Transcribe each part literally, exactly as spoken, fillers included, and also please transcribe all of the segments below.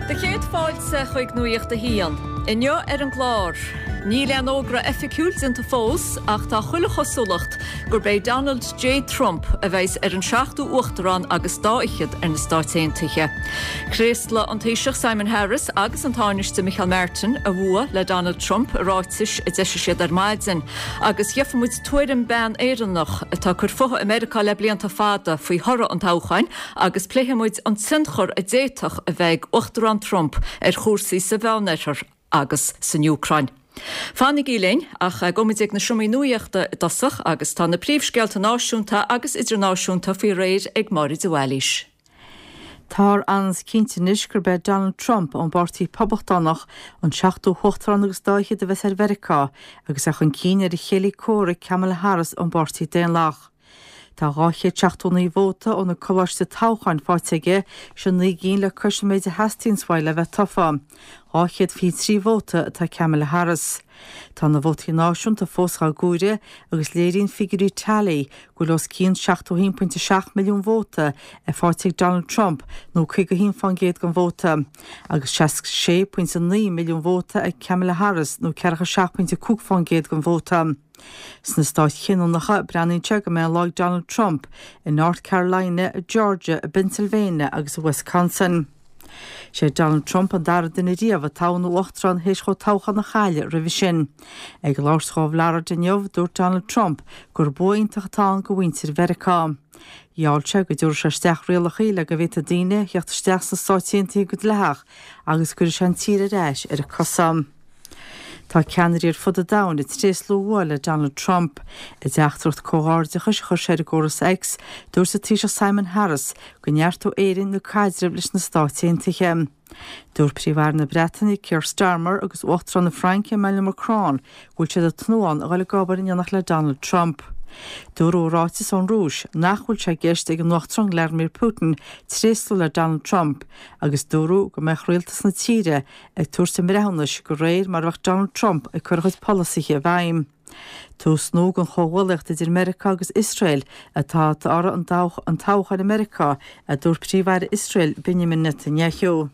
Do chéad fáilte chuig Nuacht a hAon. Inniu ar an gclár. Níl aon fhógra oifigiúil déanta fós ach tá chuile chosúlacht gurb é Donald J. Trump a bheas ar an seachtú uachtarán agus dá fhichead ar na Stáit Aontaithe. Thréaslaigh an Taoiseach Simon Harris agus an Tánaiste Micheál Martin a bhua le Donald Trump i ráitis a d'eisigh siad ar maidin, agus gheobhaidh muid tuairim bean Éireannach atá ag cur fúithi i Meiriceá le blianta fada faoi thoradh an toghcháin agus pléifidh muid an tionchar a d'fhéadfadh a bheith ag Uachtarán Trump ar chúrsaí sa Mheánoirthear agus san Úcráin. Fanaigí linn ach gabhfaidh muid ag na seomraí nuachta i dtosach agus tá na príomhscéalta náisiúnta agus idirnáisiúnta faoi réir ag Máire de Bhailís. Tá an-chinnte anois gurb é Donald Trump ón bPáirtí Poblachtánach an seachtú huachtarán agus dá fhichead a bheas ar Mheiriceá agus é chun cinn ar a chéile comhraic Kamala Harris ón bPáirtí Daonlathach. Tá dhá chéad seachtó naoi vóta ó na coláistí toghcháin faighte aige sin naoi gcinn le cois an méid a theastaíonn uaidh le bheith tofa. Dhá chéad fiche trí vóta atá Kamala Harris. Tá na vótaí náisiúnta fós á gcomhaireamh agus léiríonn figiúirí tally go bhfuil os cionn seachtó haon pointe seacht milliún vóta faighte ag Donald Trump nó caoga haon faoin gcéad den vóta, agus seasca sé pointe naoi milliún vóta ag Kamala Harris nó ceathracha seacht pointe cúig faoin gcéad den vóta. Sna stáit chinniúnacha breathnaíonn sé go mbeidh an lá ag Donald Trump i North Carolina, Georgia, Pennsylvania agus i Wisconsin. Sé Donald Trump an dara duine riamh a toghadh ina uachtarán théis dhó toghchán a chailleadh roimhe sin. Ag labhairt dhó i bhFlorida inniu, dúirt Donald Trump gur bua iontach atá ann do mhuintir Mheiriceá. Gheall sé go dtabharfaidh sé isteach rialacha le go bhféadfadh daoine theacht isteach sna Stáit Aontaithe go dleathach agus go gcuirfidh sé an tír ar ais ar a cosa. Tá ceannairí ar fud an domhain ag tréaslú a bhua le Donald Trump. I dteachtaireacht comhghairdeachais a chuir sé ar an gcóras X, dúirt an Taoiseach Simon Harris go neartóidh Éirinn na caidrimh leis na Stáit Aontaithe. Dúirt Príomh-Aire na Breataine Keir Starmer agus Uachtarán na Fraince Emmanuel Macron go bhfuil siad ag tnúthán a dhul ag obair in éineacht le Donald Trump. Dúradh i ráiteas ón Rúis nach bhfuil sé i gceist ag an Uachtarán Vladimir Putin tréaslú le Donald Trump agus dúradh go mbeadh rialtas na tíre ag tabhairt a mbreithiúnais de réir mar a bheadh Donald Trump ag cur a chuid polasaithe i bhfeidhm. Tús nua den chomhghuaillíocht idir Meiriceá agus Iosrael atá i dtoradh an toghcháin i Meiriceá, a dúirt Príomh-Aire Iosrael Benjamin Netanyahu.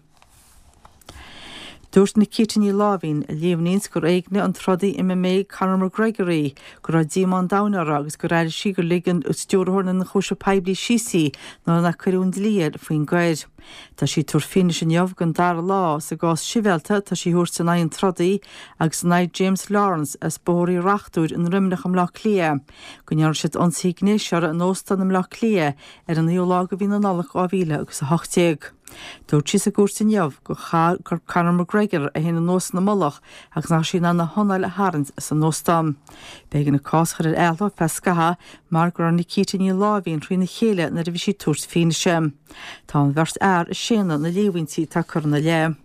Dúirt Nikita Ní Láimhín, a líomhnaíonns gur éignigh an trodaí MMA Conor McGregor í, go raibh díomá an domhain uirthi agus gur airigh sí gur lig an stiúrthóir na n-ionchúiseamh poiblí síos í nuair nár cuireadh an dlí air faoin gcoir. Tá sí ag tabhairt fianaise inniu don dara lá sa gcás sibhialta atá sí a thabhairt in aghaidh an trodaí agus in aghaidh James Lawrence as Bóthar Uí Reachtúir i nDroimneach i mBleá Cliath go ndearna siad ionsaí gnéis uirthi in óstán i mBleá Cliath ar an naoú lá de mhí na Nollag dhá mhíle agus a hocht déag. Dúirt sí sa gcúirt inniu gur chaith Conor McGregor é féin anuas ina mullach agus nach raibh sí in ann a hanáil a tharraingt as an óstán. B'éigean an cás a chur ar athló ar feadh scaithimh mar go raibh Nikita Ní Láimhín thrína chéile nuair a bhí sí ag tabhairt fianaise. Tá an bheirt fhear ag séanadh na líomhaintí atá curtha ina leith.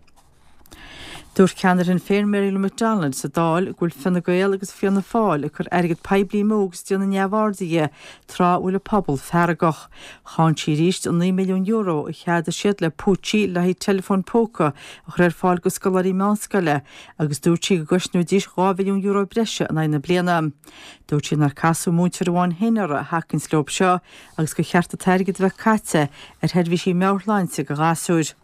Dúirt ceannaire Shinn Féin Mary Lou McDonald sa Dáil go bhfuil Fine Gael agus Fianna Fáil ag cur airgead poiblí amú agus déanamh neamhaird dhe tráth a bhfuil an pobal feargach. Cháin sí arís an naoi milliún euro a cheadaigh siad le púitsí le haghaidh teileafóin póca a chur ar fáil do scoláirí meánscoile agus dúirt sí go gcosnóidís dhá mhilliún euro breise in aghaidh na bliana. Dúirt sí nár casadh múinteoir amháin féin uirthi a thacaíonns leo seo agus gur cheart an t-airgead a bheith caite ar sheirbhísí meabhairshláinte do ghasúir.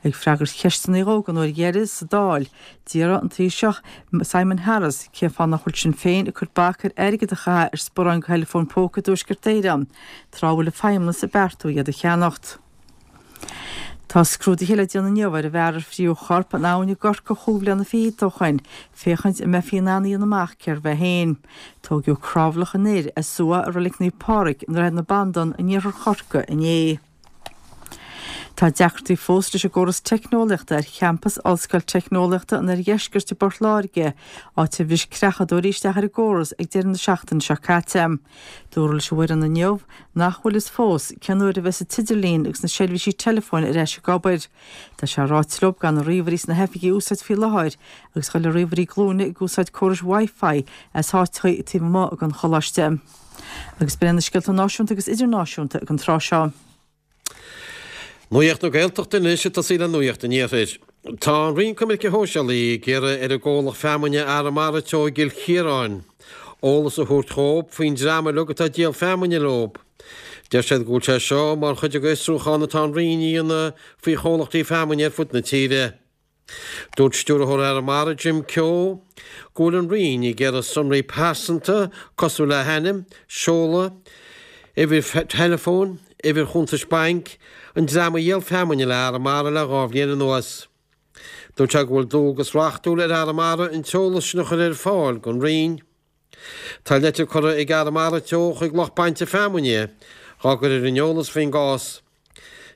Ag freagairt cheisteanna dhó den uair dheiridh sa Dáil, d'iarr an Taoiseach Simon Harris cén fáth nach bhfuil Sinn Féin ag cur bac ar airgead a chaitheamh ar sparáin do theileafóin póca i dTuaisceart Éireann, tráth a bhfuil an Feidhmeannas ag beartú iad a cheannacht. Tá scrúduithe le déanamh inniu ar an bhfear ar fríodh a chorp in abhainn i gCorcaigh chúig bhliana fichead ó shoin, féachaint an mbeifí in ann a dhéanamh amach cérbh é féin. Tóigeadh crábhlach an fhir as uaigh i Reilig Naomh Pádraig i nDroichead na Bandan in iarthar Chorcaí inné. Tá deacrachtaí fós leis an gcóras teicneolaíochta ar champas Ollscoil Teicneolaíochta an Oirdheiscirt i bPort Láirge, áit ar bhris creachadóirí isteach ar an gcóras ag deireadh na seachtaine seo caite. Dúradh leis an bhfoireann inniu nach bhfuil fhios fós cén uair a bheas an t-idirlíon agus na seirbhísí teileafóin ar ais ag obair. Tá sé ráite leo gan na ríomhairí sna hoifigí a úsáid faoi láthair agus a dhul ar ríomhairí glúine ag úsáid córais Wi-Fi as áiteacha taobh amuigh den choláiste. Agus b'in na scéalta náisiúnta agus idirnáisiúnta ag an tráth seo. Nuacht na Gaeltachta anois ag tosaí le Nuacht an Iarthair. Tá an Roinn Coimirce Shóisialaí ag iarraidh ar an gcomhlacht feamainne Arramara Teo i gCill Chiaráin eolas a thabhairt dhóibh faoin dream uilig atá ag díol feamainne leob. Deir siad go bhfuil sé seo mar chuid den fhiosrúchán atá an Roinn a dhéanamh faoi chomhlachtaí feamainne ar fud na tíre. Dúirt Stiúrthóir Arramara Jim Keogh go bhfuil an Roinn ag iarraidh sonraí pearsanta cosúil le hainm, seoladh, uimhir teileafóin, uimhir chuntais bainc, an dream a dhíol feamainne le Arramara le dhá bhliain anuas. Dúirt sé go bhfuil dualgas reachtúil ar Arramara an t-eolas sin a chur ar fáil don Roinn. Tá leitir curtha ag Arramara Teo chuig lucht bainte feamainne á gcur ar an eolas faoin gcás.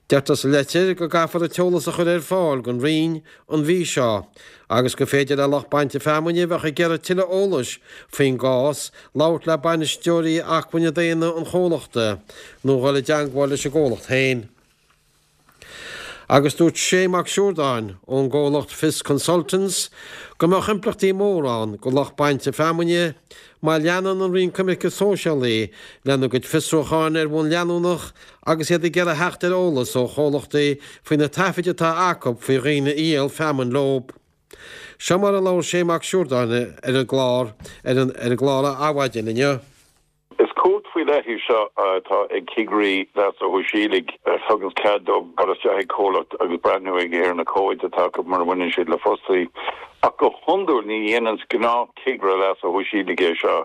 Deirtear sa leitir go gcaithfear an t-eolas a chur ar fáil don Roinn an mhí seo, agus gur féidir le lucht bainte feamainne a bheadh ag iarraidh tuilleadh eolais faoin gcás labhairt le bainisteoirí acmhainne daonna an chomhlachta nó dhul i dteagmháil leis an gcomhlacht féin. Agus dúirt Sé Mac Siúrdáin ón gcomhlacht Fios Consultants go mbeadh impleachtaí móra ann do lucht bainte feamainne má leanann an Roinn Coimirce Sóisialaí lena gcuid fiosrúcháin ar bhonn leanúnach agus iad ag iarraidh theacht ar eolas ó chomhlachtaí faoi na taifid atá acu faoi dhaoine a dhíol feamainn leo. Seo mar a labhair Sé Mac Siúrdáin ar an gclár ar an ar an gclár Adhmhaidin inniu. Is cumhacht faoi leith í seo atá ag cigirí leasa shóisialaigh a thugann cead dóibh dul isteach ag comhlacht agus breathnú ag ar na comhaid atá acu mar a bhaineann siad le fostaí. Ach go hiondúil ní dhéanann gnáthchigire leasa shóisialaigh é seo.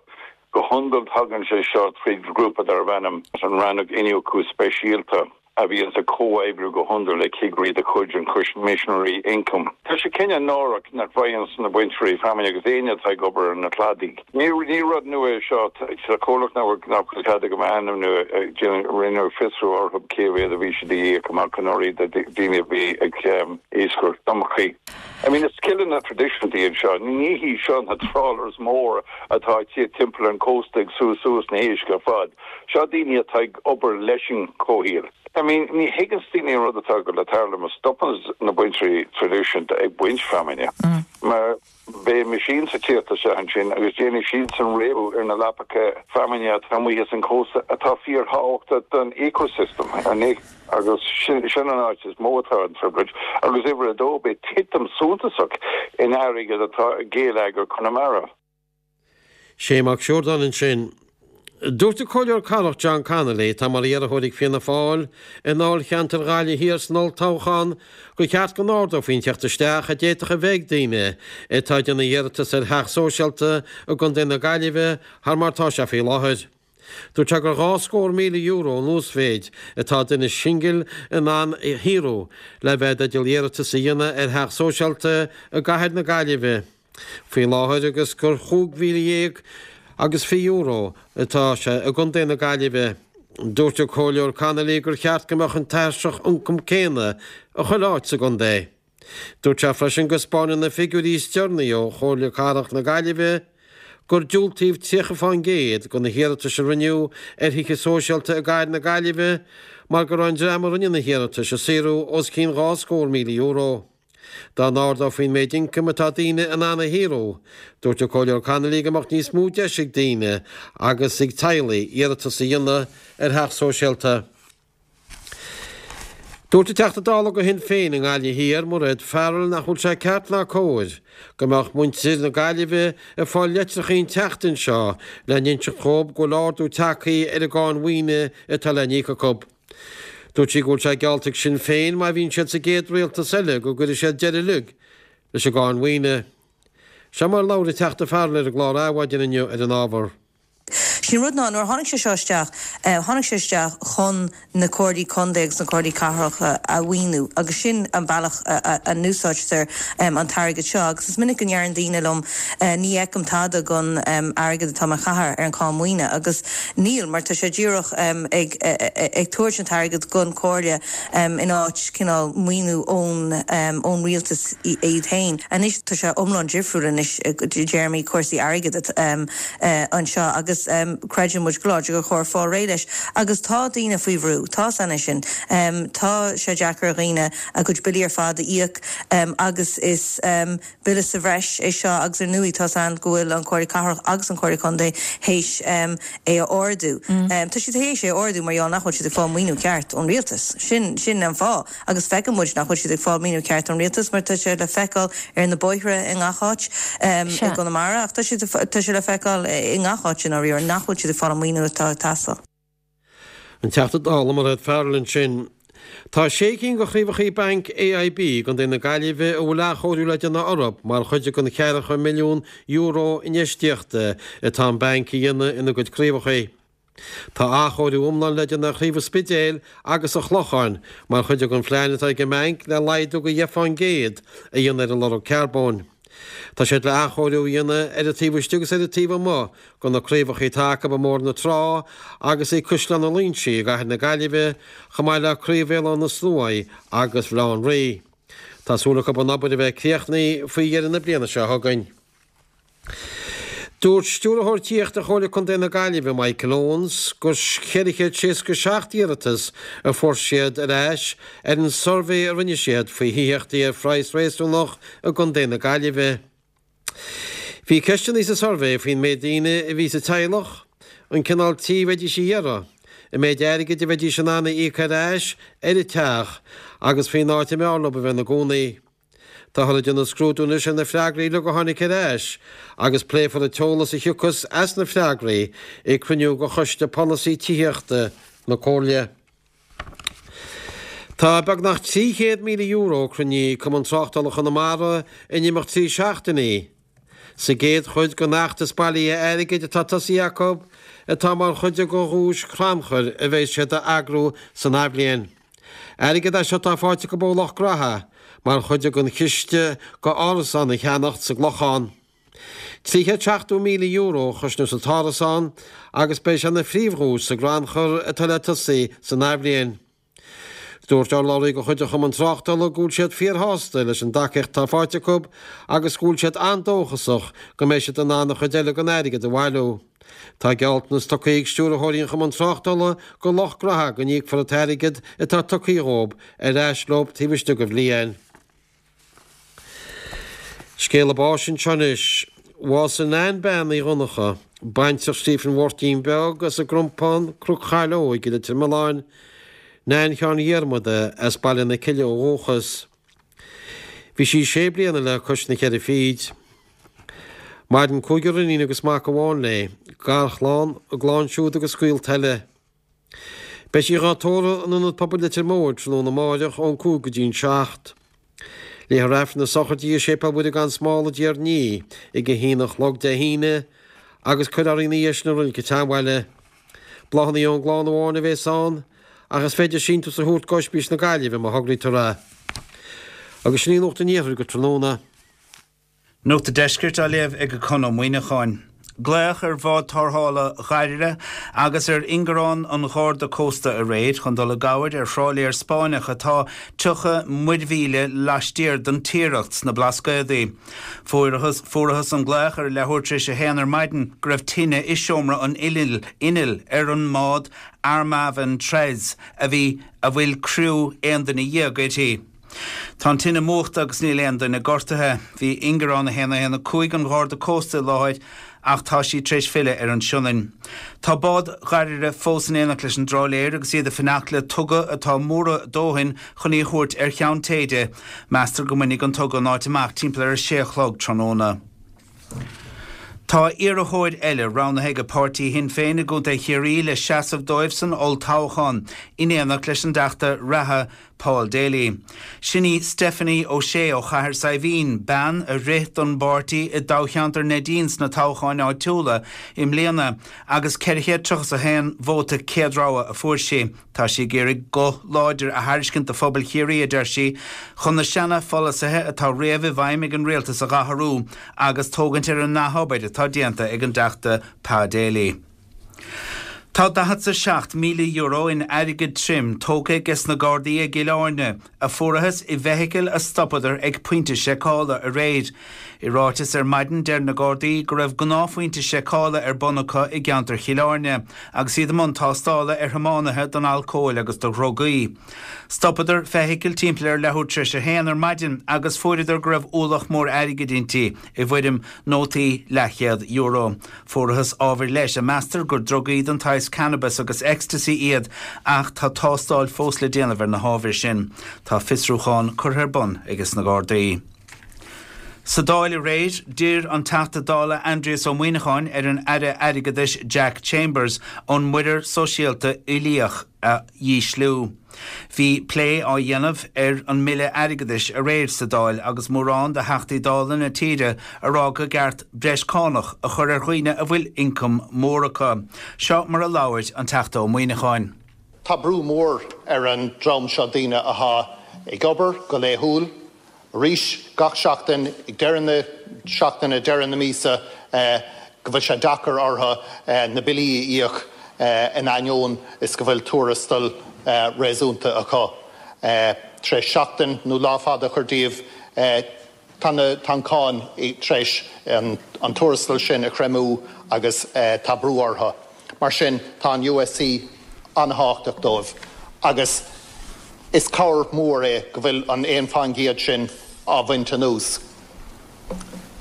Go hiondúil tagann sé seo tríd grúpa darb ainm an Rannóg Iniúchadh Speisialta a bhíonn ag comhoibriú go hiondúil le cigirí de chuid an Choimisinéirí Ioncaim. Tá sé cineál náireach nach bhfaigheann na bainteoirí feamainne agus éinne atá ag obair ar na cladaí. Ní ní rud nua é seo sa chomhlacht nach nach bhfuil cead agam a ainmniú rinneadh fiosrú orthu cé mhéad a bhí siad a íoc amach anuraidh do daoine a bhí ag iascaireacht dumhchaí. I mean, is scileanna traidisiúnta iad seo, ní hí seo na trawlers mór atá ag timpeall an cósta ag sú suas na héisc ar fad. Seo daoine atá ag obair leis an comhshaol. I mean, ní thuigeann daoine an rud atá go le tarlú má stopann na bainteoirí traidisiúnta ag baint feamainne. Mar beidh machines ag tíocht isteach ansin agus déanfaidh siad san réabadh ar na leapacha feamainne atá amuigh as an cósta atá fíorthábhachtach don ecosystem agus sin sin an áit is mó atá an trioblóid agus uimhir a dó beidh titim suntasach in airgead atá ag geilleagar Chonamara. Sé Mac Siúrdáin ansin. Dúirt an Comhairleoir Cathrach John Connolly atá mar iarrthóir ag Fianna Fáil i ndáilcheantar Ghaillimh Thiar san olltoghchán gur cheart go n-ardófaí an teacht isteach a d'fhéadfadh a bheith ag daoine atá ag déanamh iarratas ar theach sóisialta i gContae na Gaillimhe thar mar atá sé faoi láthair. Dúirt sé gur dhá scór míle euro an uasmhéid atá duine singil in ann a shaothrú le bheith i dteideal iarratas a dhéanamh ar theach sóisialta i gcathair na Gaillimhe faoi láthair agus gur chúig mhíle dhéag agus fiche euro atá sé i gContae na Gaillimhe. Dúirt an Comhairleoir Connolly gur cheart go mbeadh an tairseach ioncaim céanna i chuile áit sa gcontae. Dúirt sé freisin go spáineann na figiúirí is deireanaí ó Chomhairle Cathrach na Gaillimhe gur diúltaíodh tríocha faoin gcéad de na hiarratais a rinneadh ar thithe sóisialta i gcathair na Gaillimhe mar go raibh an dream a rinne na hiarratais ag saothrú os cionn dhá scór míle euro. Dá n-ardófaí an méid ioncaim atá daoine in ann a shaothrú, dúirt an Comhairleoir Connolly go mbeadh níos mó deis ag daoine agus ag teaghlaigh iarratas a dhéanamh ar theach sóisialta. Dúirt an Teachta Dála do Shinn Féin i nGaillimh Thiar, Mairéad Farrell nach bhfuil sé ceart ná cóir go mbeadh muintir na Gaillimhe ag fáil leitreacha an tseachtain seo le n-inseacht dhóibh go bhfuil ardú tagtha ar an gcáin mhaoine atá le n-íoc acu. Dúirt sí go bhfuil sé geallta ag Sinn Féin má bhíonn siad sa gcéad rialtas eile go gcuirfidh siad deireadh uilig leis an gcáin mhaoine. Seo mar a labhair an Teachta Farrell ar an gclár Adhmhaidin inniu ar an ábhar. Sin rud ná nuair tháinig sé seo isteach, tháinig sé isteach chun na comhairlí contae agus na comhairlí cathrach a mhaoiniú agus sin an bealach a n-úsáidtear an t-airgead seo agus is minic go ndeireann daoine liom ní fheicim tada den airgead atá mar chathair ar an cáin mhaoine agus níl mar tá sé díreach ag ag tabhairt an t-airgead don chomhairle in áit cineál maoiniú ón ón rialtas iad féin. Anois tá sé iomlán difriúil anois i dtéarmaí cúrsaí airgead anseo agus creideann muid go láidir gur chóir fáil réidh leis agus tá daoine faoi bhrú, tá san sin. Tá sé deacair ar dhaoine a gcuid billí ar fad a íoc agus is bille sa bhreis é seo agus ar ndóigh tá san go bhfuil an Comhairle Cathrach agus an Comhairle Contae théis é a ardú. Tá siad théis é a ardú mar gheall nach bhfuil siad ag fáil maoiniú ceart ón rialtas. Sin sin an fáth agus feiceann muid nach bhfuil siad ag fáil maoiniú ceart ón rialtas mar tá sé le feiceáil ar na bóithre i ngach áit i gConamara ach tá sé tá sé le feiceáil i ngach áit in áiríre nach bhfuil siad ag fáil an maoiniú atá ag teastáil. An Teachta Dála Mairéad Farrell ansin. Tá sé cinn de chraobhacha Banc AIB i gContae na Gaillimhe a bhfuil athchóiriú le déanamh orthu mar chuid den cheathracha milliún euro infheistíochta atá an banc a dhéanamh ina gcuid craobhacha. Tá athchóiriú iomlán le déanamh ar chraobh an Spidéil agus an Chlocháin mar chuid den phlean atá ag an mbanc le laghdú de dheich fán gcéad a dhéanamh ar a lorg carbóin. Tá siad le athchóiriú a dhéanamh ar an taobh istigh agus ar an taobh amuigh de na craobhacha atá acu i mBóthar na Trá agus i gCaisleán an Loingsigh i gcathair na Gaillimhe, chomh maith le craobh Bhéal Átha na Sluaighe agus Bhaile Átha an Rí. Tá súil acu an obair a bheith críochnaithe faoi dheireadh na bliana seo chugainn. Dúirt Stiúrthóir Tithíochta Chomhairle Contae na Gaillimhe, Michael Owens, gur ceithre chéad seasca seacht iarratas a fuair siad ar ais ar an suirbhé a rinne siad faoi thithíochtaí ar phraghas réasúnach i gContae na Gaillimhe. Bhí ceisteanna sa suirbhé faoin méid daoine a bhí sa teaghlach, an cineál tí a bheidís a iarraidh, an méid airgid a bheidís in ann a íoc ar ais ar an teach agus faoin áit a mb'fhearr leo a bheith ina gcónaí. Táthar ag déanamh scrúdú anois ar na freagraí uilig a tháinig ar ais agus pléifear an t-eolas a thiocfas as na freagraí ag cruinniú de Choiste Polasaí Tithíochta na Comhairle. Tá beagnach trí chéad míle euro cruinnithe ag Cumann Tráchtála Chonamara in imeacht trí seachtainí sa gcéad chuid den fheachtas bailithe airgid atá tosaithe acu atá mar chuid de dhuais chrannchuir a bheidh siad a eagrú san athbhliain. Airgead é seo atá faighte acu ó lucht graithe mar chuid den chiste go árasán a cheannacht sa gClochán. Trí chéad seachtó míle euro a chosnós an t-árasán agus beidh sé ina phríomhdhuais sa gcrannchur atá le tosaí san athbhliain. Dúirt urlabhraí de chuid an Chumann Tráchtála go bhfuil siad fíorshásta leis an dtacaíocht atá faighte acu agus go bhfuil siad an-dóchasach go mbeidh siad in ann an chuid eile den airgead a bhailiú. Tá gealltanas tugtha ag stiúrthóirí an Chumann Tráchtála do lucht graithe go n-íocfar an t-airgead atá tugtha dhóibh ar ais leo taobh istigh de bhliain. Scéala báis anseo anois. Bhásaigh Nan Bean Uí Dhonncha, baintreach Stephen Mháirtín Beag as an gCrompán, Cnoc Chaileoig i Leitir Mealláin, Nan Sheáin Dhiarmada as Baile na Cille ó dhúchas. Bhí sí sé bliana le cois na ceithre fichid. Maireann cúigear iníon agus mac amháin léi, garchlann, a gclann siúd agus gaolta eile. Beidh sí dhá tórramh in Ionad Pobail Leitir Móir tráthnóna amáireach ón cúig go dtí an seacht. Léifear Aifreann na sochraide i Séipéal Mhuire gan Smál i dTír an Fhia ag a haon a chlog Dé hAoine agus cuirfear í ina dhiaidh sin i Reilig an tSeanbhaile. Bláthanna ón gclann amháin a bhéas ann ach is féidir síntiús a thabhairt go Ospís na Gaillimhe má thograítear é. Agus sin í Nuacht an Iarthair go tráthnóna. Nuacht an Deiscirt á léamh ag Conn Ó Muíneacháin. Glaodh ar bhád tarrthála Dhoire agus ar ingearán an Gharda Cósta aréir chun dul i gcabhair ar thrálaer Spáinneach atá tríocha muirmhíle laistiar den Tiaracht sna Blascaodaí. Fuarthas fuarthas an glaoch ar a leathuair tar éis a haon ar maidin go raibh tine i seomra an innill innill ar an mbád Armaven Tres a bhí a bhfuil criú aon duine dhéag uirthi. Tá an tine múchta agus níl aon duine gortaithe. Bhí ingearán a haon a haon a cúig an Gharda Cósta i láthair ach tá sí tar éis filleadh ar an Sionainn. Tá bád Dhoire fós in éineacht leis an dtrálaer agus iad ag fanacht le tuga atá mór a dóthain chun í a thabhairt ar Cheann Téide. Meastar go mbainfidh an tuga an áit amach timpeall ar a sé a chlog tráthnóna. Tá iarrthóir eile roghnaithe ag páirtí Shinn Féin i gContae Chiarraí le seasamh dóibh san olltoghchán, in éineacht leis an dTeachta reatha Paul Daly. Sin í Stephanie O'Shea ó Chathair Saidhbhín, bean a rith don bpáirtí i dtoghcheantar Neidín sna toghcháin áitiúla i mbliana agus ceithre chéad tríocha a haon vóta céad rogha a fuair sí. Tá sí ag iarraidh guth láidir a thairiscint do phobal Chiarraí, a deir sí, chun na seana-pholasaithe atá riamh i bhfeidhm ag an rialtas a dh'athrú agus tógaint ar an ndea-obair atá déanta ag an dTeachta Pa Daly. Tá daichead 's a seacht míle euro in airgead tirim tógtha ages na Gardaí i gCill Airne, a fuarathas i bhfeithicil a stopadar ag pointe seiceála aréir. I ráiteas ar maidin deir na Gardaí go raibh gnáthphointe seiceála ar bun acu i gceantar Chill Airne agus iad i mbun tástála ar thiománaithe don alcól agus do dhrugaí. Stopadar feithicil timpeall ar leathuair tar éis a haon ar maidin agus fuaireadar go raibh ualach mór airgid inti i bhfoirm nótaí leathchéad euro. Fuarathas ábhair leis a meastar gur drugaí den tsaghas cannabis agus ecstasy iad ach tá tástáil fós le déanamh ar na hábhair sin. Tá fiosrúchán curtha ar bun ages na Gardaí. Sa Dáil aréir, d'iarr an Teachta Dála Aindrias Ó Muimhneacháin ar an Aire Airgeadais Jack Chambers an muirear sóisialta uilíoch a dhísliú. Bhí plé á dhéanamh ar an mBille Airgeadais aréir sa Dáil agus mórán de Theachtaí Dála na tíre ag rá gur cheart breis cánach a chur ar dhaoine a bhfuil ioncam mór acu. Seo mar a labhair an Teachta Ó Muimhneacháin. Tá brú mór ar an dream seo daoine atá ag obair go laethúil, arís gach seachtain ag deireadh na seachtaine deireadh na míosa go bhfuil sé deacair orthu na billí a íoc in ainneoin is go bhfuil tuarastal réasúnta acu. Tar éis seachtain nó lá fada a chur díobh tá tá an cáin tar éis an tuarastal sin a chreimeadh agus tá brú orthu. Mar sin tá an USC an-tábhachtach dóibh agus is cabhair mhór é go bhfuil an aon faoin gcéad sin á bhaint anuas.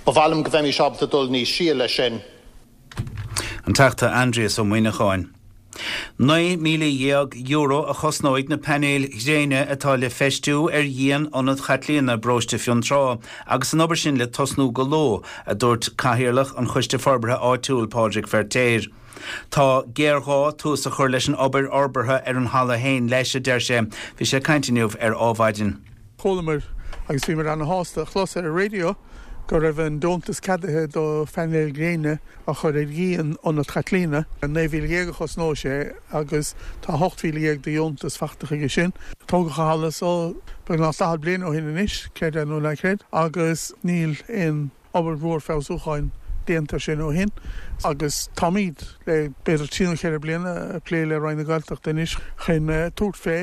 Ba mhaith liom go bheimis ábalta dul níos sia leis sin. An Teachta Aindrias Ó Muimhneacháin. Naoi míle dhéag euro a chosnóidh na painéil ghréine atá le feistiú ar dhíon Ionad Chaitlíona bparóiste Fionntrá agus an obair sin le tosnú go luath, a dúirt Cathaoirleach an Choiste Forbartha Áitiúil Pádraig Feirtéar. Tá géarghá tús a chur leis an obair fhorbartha ar an halla féin leis, a deir sé. Bhí sé ag caint inniu ar Adhmhaidin. Chualamar agus bhíomar ana-shásta a chlos ar an raidió go raibh an deontas ceadaithe do phainéil gréine a chur ar dhíon Ionad Chaitlíona. Naoi mhíle dhéag a chosnóidh sé agus tá ocht mhíle dhéag de dheontas faighte chuige sin. Tógadh an halla so beagnach daichead bliain ó shin anois, creid é nó ná creid, agus níl aon obair mhór feabhsúcháin déanta air sin ó shin agus táimid le b'fhéidir trí nó ceithre bliana ag plé le Roinn na Gaeltachta anois chun tabhairt fé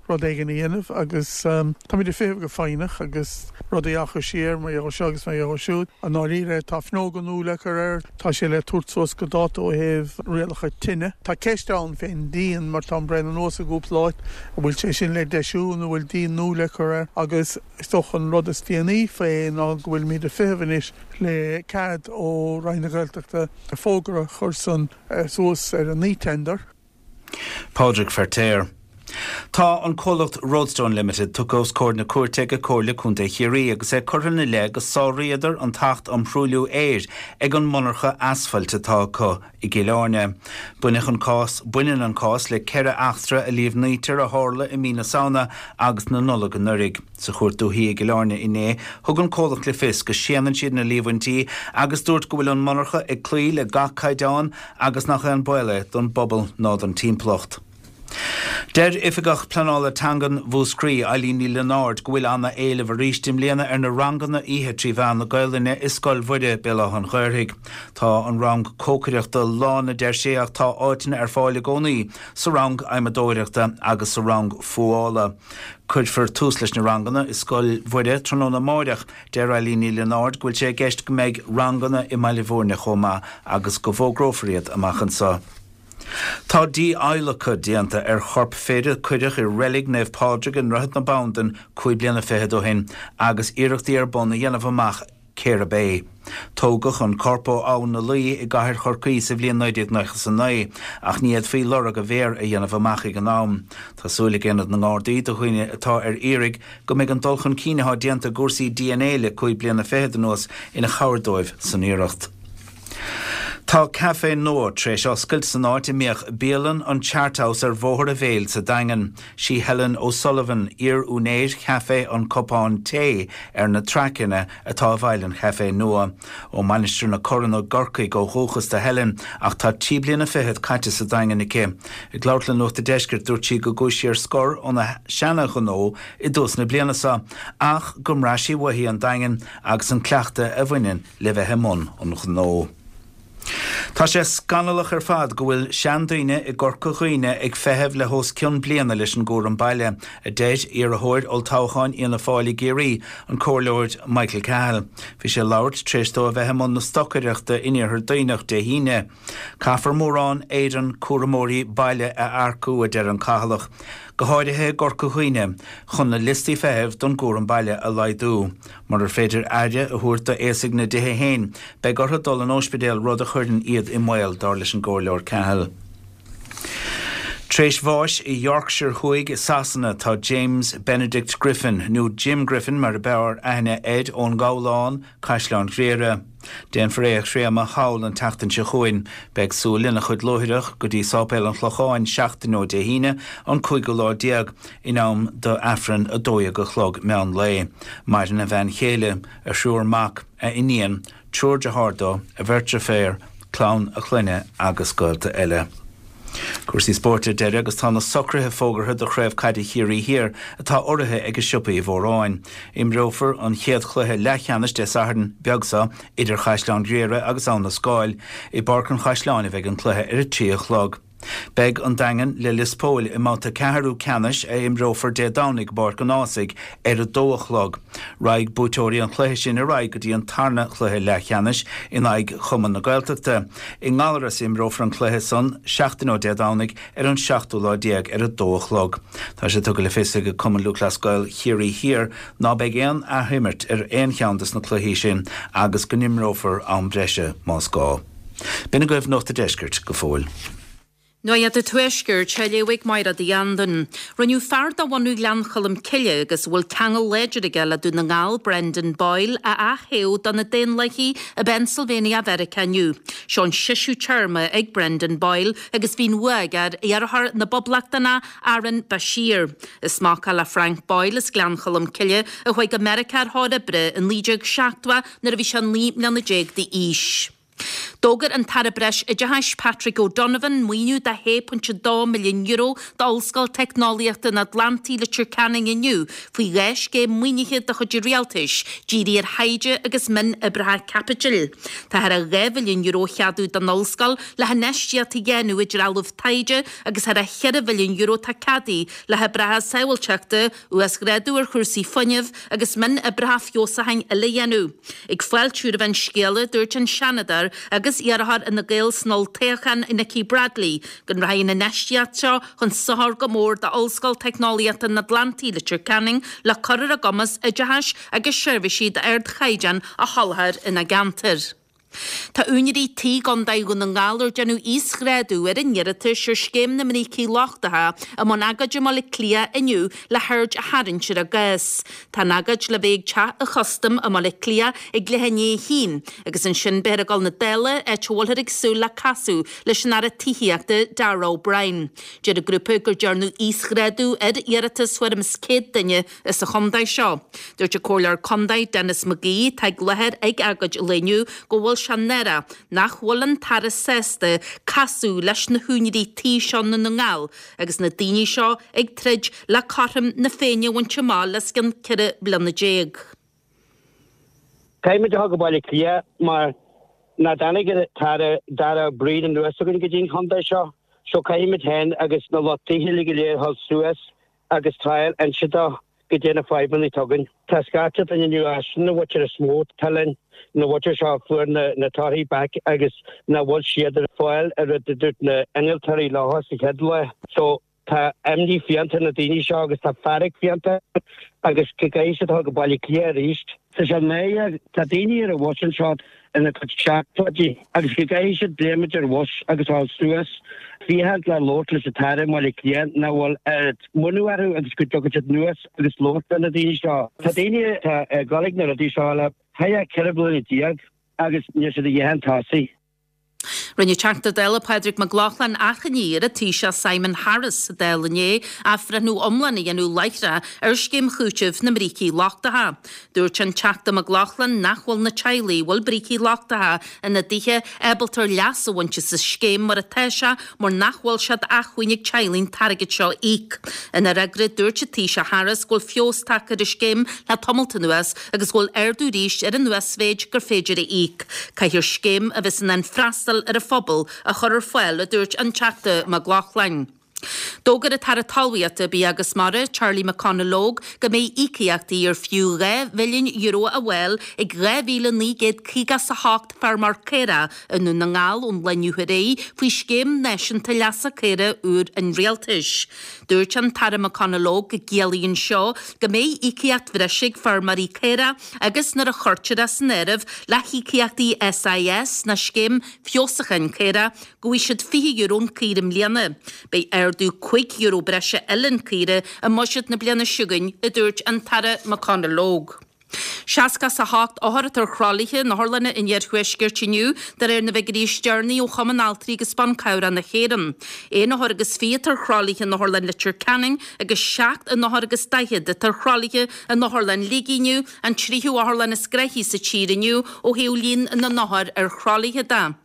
rud éigin a dhéanamh agus táimid ag feitheamh go foighneach agus rudaí á chur siar mar gheall seo agus mar gheall siúd. I ndáiríre tá fuinneoga nua le cur air, tá sé le tabhairt suas go dáta ó thaobh rialacha tine. Tá ceist ann fén díon mar tá an braon anuas i gcúpla áit, an bhfuil sé sin le deisiú nó an bhfuil díon nua le cur air agus is dócha an rud is déanaí fé ná go bhfuilimid ag feitheamh anois le cead ó Roinn na Gaeltachta fógra a chur san suas ar an e-tender. Pádraig Feirtéar. Tá an comhlacht Roadstone Limited tugtha os comhair na cúirte ag Comhairle Contae Chiarraí agus é curtha ina leith go sáraíodar an tAcht um Thruailliú Aeir ag an monarcha asfailt atá acu i gCill Airne. Baineann an cás baineann an cás le ceithre eachtra a líomhnaítear a tharla i mí na Samhna agus na Nollag anuraidh. Sa chúirt dúiche i gCill Airne inné, thug an comhlacht le fios go séanann siad na líomhaintí agus dúirt go bhfuil an monarcha ag cloí le gach caighdeán agus nach aon baol é don bpobal ná don timpeallacht. Deir Oifigeach Pleanála Teangan Mhúscraí Eileen Ní Lionáird go bhfuil ana-éileamh arís i mbliana ar na ranganna oíche trí mheán na Gaelainne i Scoil Mhuire Béal Átha an Ghaorthaidh. Tá an rang cócaireachta lán a deir sé ach tá áiteanna ar fáil i gcónaí sa rang adhmadóireachta agus sa rang fuála. Cuirfear tús leis na ranganna i Scoil Mhuire tráthnóna amáireach. Deir Eileen Ní Lionáird go bhfuil sé i gceist go mbeidh ranganna i mBaile Bhúirne chomh maith agus go bhfógrófar iad amach anseo. Tá dí-adhlacadh déanta ar chorp fir a cuireadh i reilig Naomh Pádraig i nDroichead na Bandan cúig bliana fichead ó shin agus iarrachtaí ar bun a dhéanamh amach cérb é. Tógadh an corp ó Abhainn na Laoi i gcathair Chorcaí sa bhliain naoi déag nócha is a naoi ach ní fhéadfaí lorg a mhéar a dhéanamh amach ag an am. Tá súil ag Aonad na nGardaí do dhaoine atá ar iarraidh go mbeidh an dul chun cinn atá déanta i gcúrsaí DNA le cúig bliana fichead anuas ina chabhair dóibh san iarracht. Tá caifé nua tar éis oscailt san áit a mbíodh bialann an Chart House ar Bhóthar an Mhéil sa Daingean. Sí Helen O'Sullivan, iar-úinéir Chaifé an Cupán Tae ar na Traiceanna atá i bhfeighil an chaifé nua. Ó Mainistir na Corann i gCorcaigh ó dhúchas do Helen ach tá trí bliana fichead caite sa Daingean aici. Ag labhairt le Nuacht an Deiscirt dúirt sí go gcuaigh sí ar scor óna seana-ghnó i dtús na bliana seo ach go mbraith sí uaithi an Daingean agus an cleachtadh a bhaineann le bheith i mbun an ghnó. Tá sé scannalach ar fad go bhfuil seandaoine i gCorca Dhuibhne ag feitheamh le hos cionn bliana leis an gcúram baile, a deir iarrthóir olltoghcháin Fhianna Fáil i gCiarraí, an Comhairleoir Michael Cahill. Bhí sé ag labhairt tar éis dó a bheith i mbun na stocaireachta in Iarthar Duibhneach Dé hAoine. Caithfear mórán éireann cúramóirí baile a earcú, a deir an Cathalach. go háirithe i gCorca Dhuibhne, chun na liostaí feithimh don gcúram baile a laghdú. Murar féidir aire a thabhairt d'aosaigh na dtithe féin, beidh orthu dul in ospidéal, rud a chuireann iad i mbaol, dar leis an gComhairleoir Cahill. Tréis bháis i Yorkshire Thuaidh i Sasana tá James Benedict Griffin nó Jim Griffin mar a b'fhearr aithne air ón nGabhlán, Caisleán Ghriaire. Déanfar é a chréamadh thall an tseachtain seo chugainn. Beidh siúl lena chuid luaithreach go dtí Sáipéal an Chlocháin seachtain ó Dé hAoine an cúigiú lá déag in am do Aifreann a dó dhéag a chlog meán lae. Maireann a bhean chéile, a thriúr mac, a iníon, triúr dearthár dó, a bheirt deirféar, clann a chlainne agus gaolta eile. Cúrsaí spóirt ar deireadh agus tá na socruithe fógartha do Chraobh Caide Chiarraí Thiar atá urraithe ag Siopaí Uí Mhóráin. Imreofar an chéad chluiche leathcheannais Dé Sathairn beag seo idir Chaisleán Ghriaire agus Abha na Scáil. I bPáirc an Chaisleáin a bheidh an cluiche ar a trí a chlog. Beidh an Daingean le Lios Póil i mbabhta ceathrú ceannais a imreofar Dé Domhnaigh i bPáirc an Ághasaigh ar a dó a chlog. Raghaidh buaiteoirí an chluiche sin ar aghaidh go dtí an tarna chluiche leathcheannais in aghaidh Chumann na Gaeltachta. I nGallaras imreofar an cluiche san seachtain ó Dé Domhnaigh ar an seachtú lá déag ar a dó a chlog. Tá sé tugtha le fios ag Cumann Lúthchleas Gael Chiarraí Thiar ná beidh aon athimirt ar aon cheann des na cluichí sin agus go n-imreofar am breise más gá. B'in agaibh Nuacht an Deiscirt go fóill. Nuacht an Tuaiscirt, á léamh ag Máire Uí Anluain. Rinneadh fear de bhunadh Ghleann Cholm Cille agus a bhfuil ceangal láidir aige le Dún na nGall, Brendan Boyle, a ath-thoghadh do na Daonlathaigh i bPennsylvania Mheiriceá inniu. Seo an seisiú téarma ag Brendan Boyle agus bhí an bhua aige ar iarrthóir na bPoblachtánach Aaron Bashir. Is mac le Frank Boyle as Gleann Cholm Cille a chuaigh go Meiriceá ar thóir oibre i naoi déag seachtó nuair a bhí sé naoi mbliana déag d'aois. D'fhógair an tAire Breisoideachais Patrick O'Donovan maoiniú de shé pointe dó milliún euro d'Ollscoil Teicneolaíochta an Atlantaigh Leitir Ceanainn inniu faoi dhá scéim maoinithe de chuid an rialtais, dírithe ar thaighde agus mionoibreacha caipitil. Tá thar a dhá mhilliún euro ceadaithe don ollscoil le hinfheistíocht a dhéanamh i dtrealamh taighde agus thar a cheithre mhilliún euro tá ceadaithe le hoibreacha sábháilteachta, uasghrádú ar chúrsaí fuinnimh agus mionoibreacha feabhsúcháin eile a dhéanamh. Ag fáiltiú roimh an scéala, dúirt an Seanadóir agus iarrthóir Fhine Gael san olltoghchán Nikki Bradley go rachaidh an infheistíocht seo chun sochair go mór d'Ollscoil Teicneolaíochta an Atlantaigh Leitir Ceanainn le cur ar a gcumas oideachais agus seirbhísí d'ardchaighdeán a sholáthar ina gceantar. Tá úinéirí tí i gContae Dhún na nGall ar déanadh íosghrádú ar a n-iarratais ar Scéim na mBrící Lochtacha i mbun agóide i mBaile Átha Cliath inniu le haird a tharraingt ar a gcás. Tá an agóid le bheith ag Teach an Chustaim i mBaile Átha Cliath ag leath i ndiaidh a haon agus ansin beifear ag dul na Dála, áit a bhfuilthear ag súil le casadh leis an Aire Tithíochta Darragh O'Brien. Deir an grúpa gur dearnadh íosghrádú ar iarratas tuairim is céad duine sa chontae seo. Dúirt an Comhairleoir Contae Denis McGee, atá i láthair ag agóid an lae inniu, go bhfuil sé náireach nach bhfuil an tAire sásta casadh leis na húinéirí tí seo i nDún na nGall agus na daoine seo ag troid le cothrom na Féinne a bhaint amach le os cionn ceithre bliana déag. Caithfimid a dhul go Baile Átha Cliath mar nach dtáinig an tAire Darragh O'Brien anuas chugainn go dtí an chontae seo so caithfimid féin agus na lucht tithe uilig go léir a dhul suas agus triail inse dó goidé na fadhbanna atá againn. Tá scata daoine inniu as sin na mhuintir is mó atá linn, na mhuintir seo a fuair na na torthaí back agus nach bhfuil siad ar fáil ar rud a dúirt na innealtóirí leo sa chéad lá. So tá imní fiánta ar na daoine seo agus tá fearg fiánta agus go gcaithfidh siad dul go Baile Átha Cliath arís. Tá sé náireach, tá daoine ar an bhus anseo ina gcuid seachtóidí agus go gcaithfidh siad léimid ar bhus agus dul suas féachaint le labhairt leis an tAire i mBaile Átha Cliath nach bhfuil oiread muinín orthu agus go dtiocfaidh siad anuas agus labhairt le na daoine seo. Tá daoine atá ag dul ag na rudaí seo le thar ceithre bliana déag agus níl siad a dhath chun tosaigh. Rinne Teachta Dála Pádraig Mac Lochlainn achainí ar an Taoiseach Simon Harris sa Dáil inné athbhreithniú iomlán a dhéanamh láithreach ar scéim chúitimh na mbrící lochtacha. Dúirt an Teachta Mac Lochlainn nach bhfuil na teaghlaigh a bhfuil brící lochtacha ina dtithe ábalta leas a bhaint as an scéim mar atá sé mar nach bhfuil sé d'acmhainn ag teaghlaigh an t-airgead seo a íoc. Ina fhreagra dúirt an Taoiseach Harris go bhfuil feabhas tagtha ar an scéim le tamalt anuas agus go bhfuil ardú arís ar an uasmhéid gur féidir a íoc. Caithfear scéim a bheas in ann freastal ar an phobal a chur ar fáil, a dúirt an Teachta Mac Lochlainn. D'fhógair an tAire Talmhaíochta, Bia agus Mara, Charlie McConalogue, go mbeidh íocaíochtaí ar fiú dhá mhilliún euro á bhfáil ag dhá mhíle naoi gcéad caoga is a hocht feirmeoir caorach i nDún na nGall ón lá inniu ar aghaidh faoi Scéim Náisiúnta Leasa Caorach úr an Rialtais. Dúirt an tAire McConalogue go gciallaíonn seo go mbeidh íocaíocht bhreise ag feirmeoirí caorach agus nuair a chuirtear é san áireamh le híocaíochtaí SIS ná Scéim Feabhsúcháin Caorach go bhfaighidh siad fiche euro an caora i mbliana. Beidh ardú cúig euro breise eile an caora i mbuiséad na bliana seo chugainn, a dúirt an tAire McConalogue. Seasca is a hocht othar atá ar thralaithe in otharlanna an iarthuaiscirt inniu, de réir na bhfigiúirí is deireanaí ó Chumann Altraí agus Ban Cabhrach na hÉireann. Aon othar agus fiche atá ar thralaithe in Otharlann Leitir Ceanainn agus seacht n-othar agus daichead atá ar thralaithe in Otharlann Shligigh inniu, an tríú otharlann is gnoithí sa tír inniu ó thaobh líon na n-othar ar thralaithe de.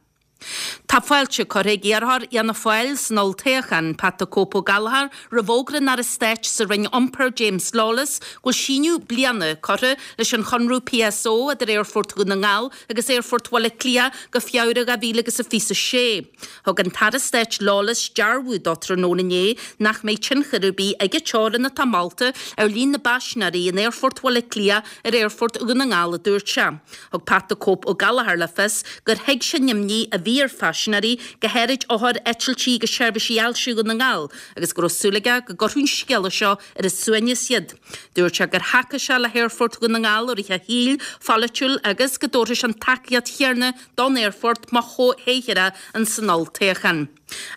Tá fáilte curtha ag iarrthóir Fhianna Fáil san olltoghchán, Pat the Cope Ó Gallchóir, roimh fhógra an Aire Stáit sa Roinn Iompair, James Lawless, go bhfuil síneadh bliana curtha leis an chonradh PSO idir Aerfort Dhún na nGall agus Aerfort Bhaile Átha Cliath go Feabhra dhá mhíle agus a fiche a sé. Thug an tAire Stáit Lawless dearbhú dó tráthnóna inné nach mbeidh tionchar ar bith ag an teorainn atá molta ar líon na bpaisinéirí in Aerfort Bhaile Átha Cliath ar Aerfort Dhún na nGall, a dúirt sé. Thug Pat the Cope Ó Gallchóir le fios gur thuig sé an imní a bhí ar phaisinéirí, go háirid othair eitiltí agus seirbhísí ailse Dhún na nGall, agus go raibh súil aige go gcuirfeadh an scéala seo ar a suaimhneas iad. Dúirt sé gur thacaigh sé le hAerfort Dhún na nGall i rith a shaoil pholaitiúil agus go dtabharfadh sé an tacaíocht chéanna don aerfort má thoghtar é ins an olltoghchán.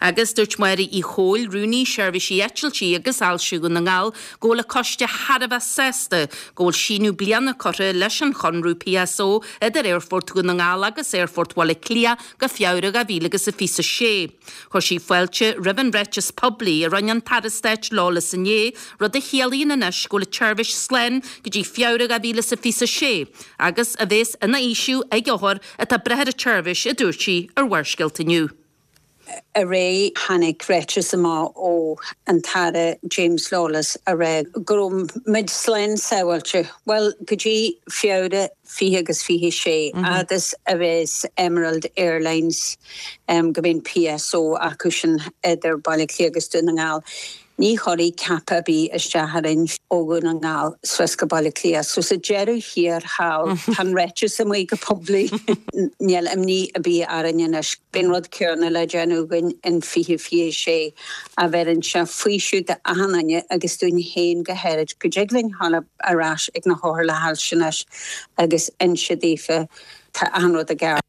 Agus dúirt Máire Uí Chomhail, Rúnaí Seirbhísí Eitiltí agus Ailse Dhún na nGall, go bhfuil a coiste thar a bheith sásta go bhfuil síneadh bliana curtha leis an chonradh PSO idir Aerfort Dhún na nGall agus Aerfort Bhaile Átha Cliath go Feabhra dhá mhíle agus a fiche a sé. Chuir sí fáilte roimh an ráiteas poiblí a rinne an tAire Stáit Lawless inné, rud a chiallaíonn anois go bhfuil an tseirbhís slán go dtí Feabhra dhá mhíle is a fiche a sé agus a bheas ina fhaoiseamh ag othair atá ag brath ar an tseirbhís, a dúirt sí ar Bharrscéalta Inniu. Aréir tháinig ráiteas amach ó an tAire James Lawless a rá go raibh muid slán sábháilte, bhuel, go dtí Feabhra fiche agus fiche sé, fhad is a bheas Emerald Airlines, go mbíonn PSO acu sin idir Baile Átha Cliath agus Dún na nGall. Ní chuirfidh cap ar bith isteach orainn ó Dhún na nGall suas go Baile Átha Cliath. So sa deireadh thiar thall, tá an ráiteas amuigh go poiblí. Níl imní ar bith orainn anois. Beidh an rud céanna le déanamh againn in fiche fiche sé a bheireann sé faoiseamh d'achan duine agus dúinn féin go háirid go dtig linn dhul ar ais ag na hothair le hailse anois agus inse daofa tá achan rud i gceart.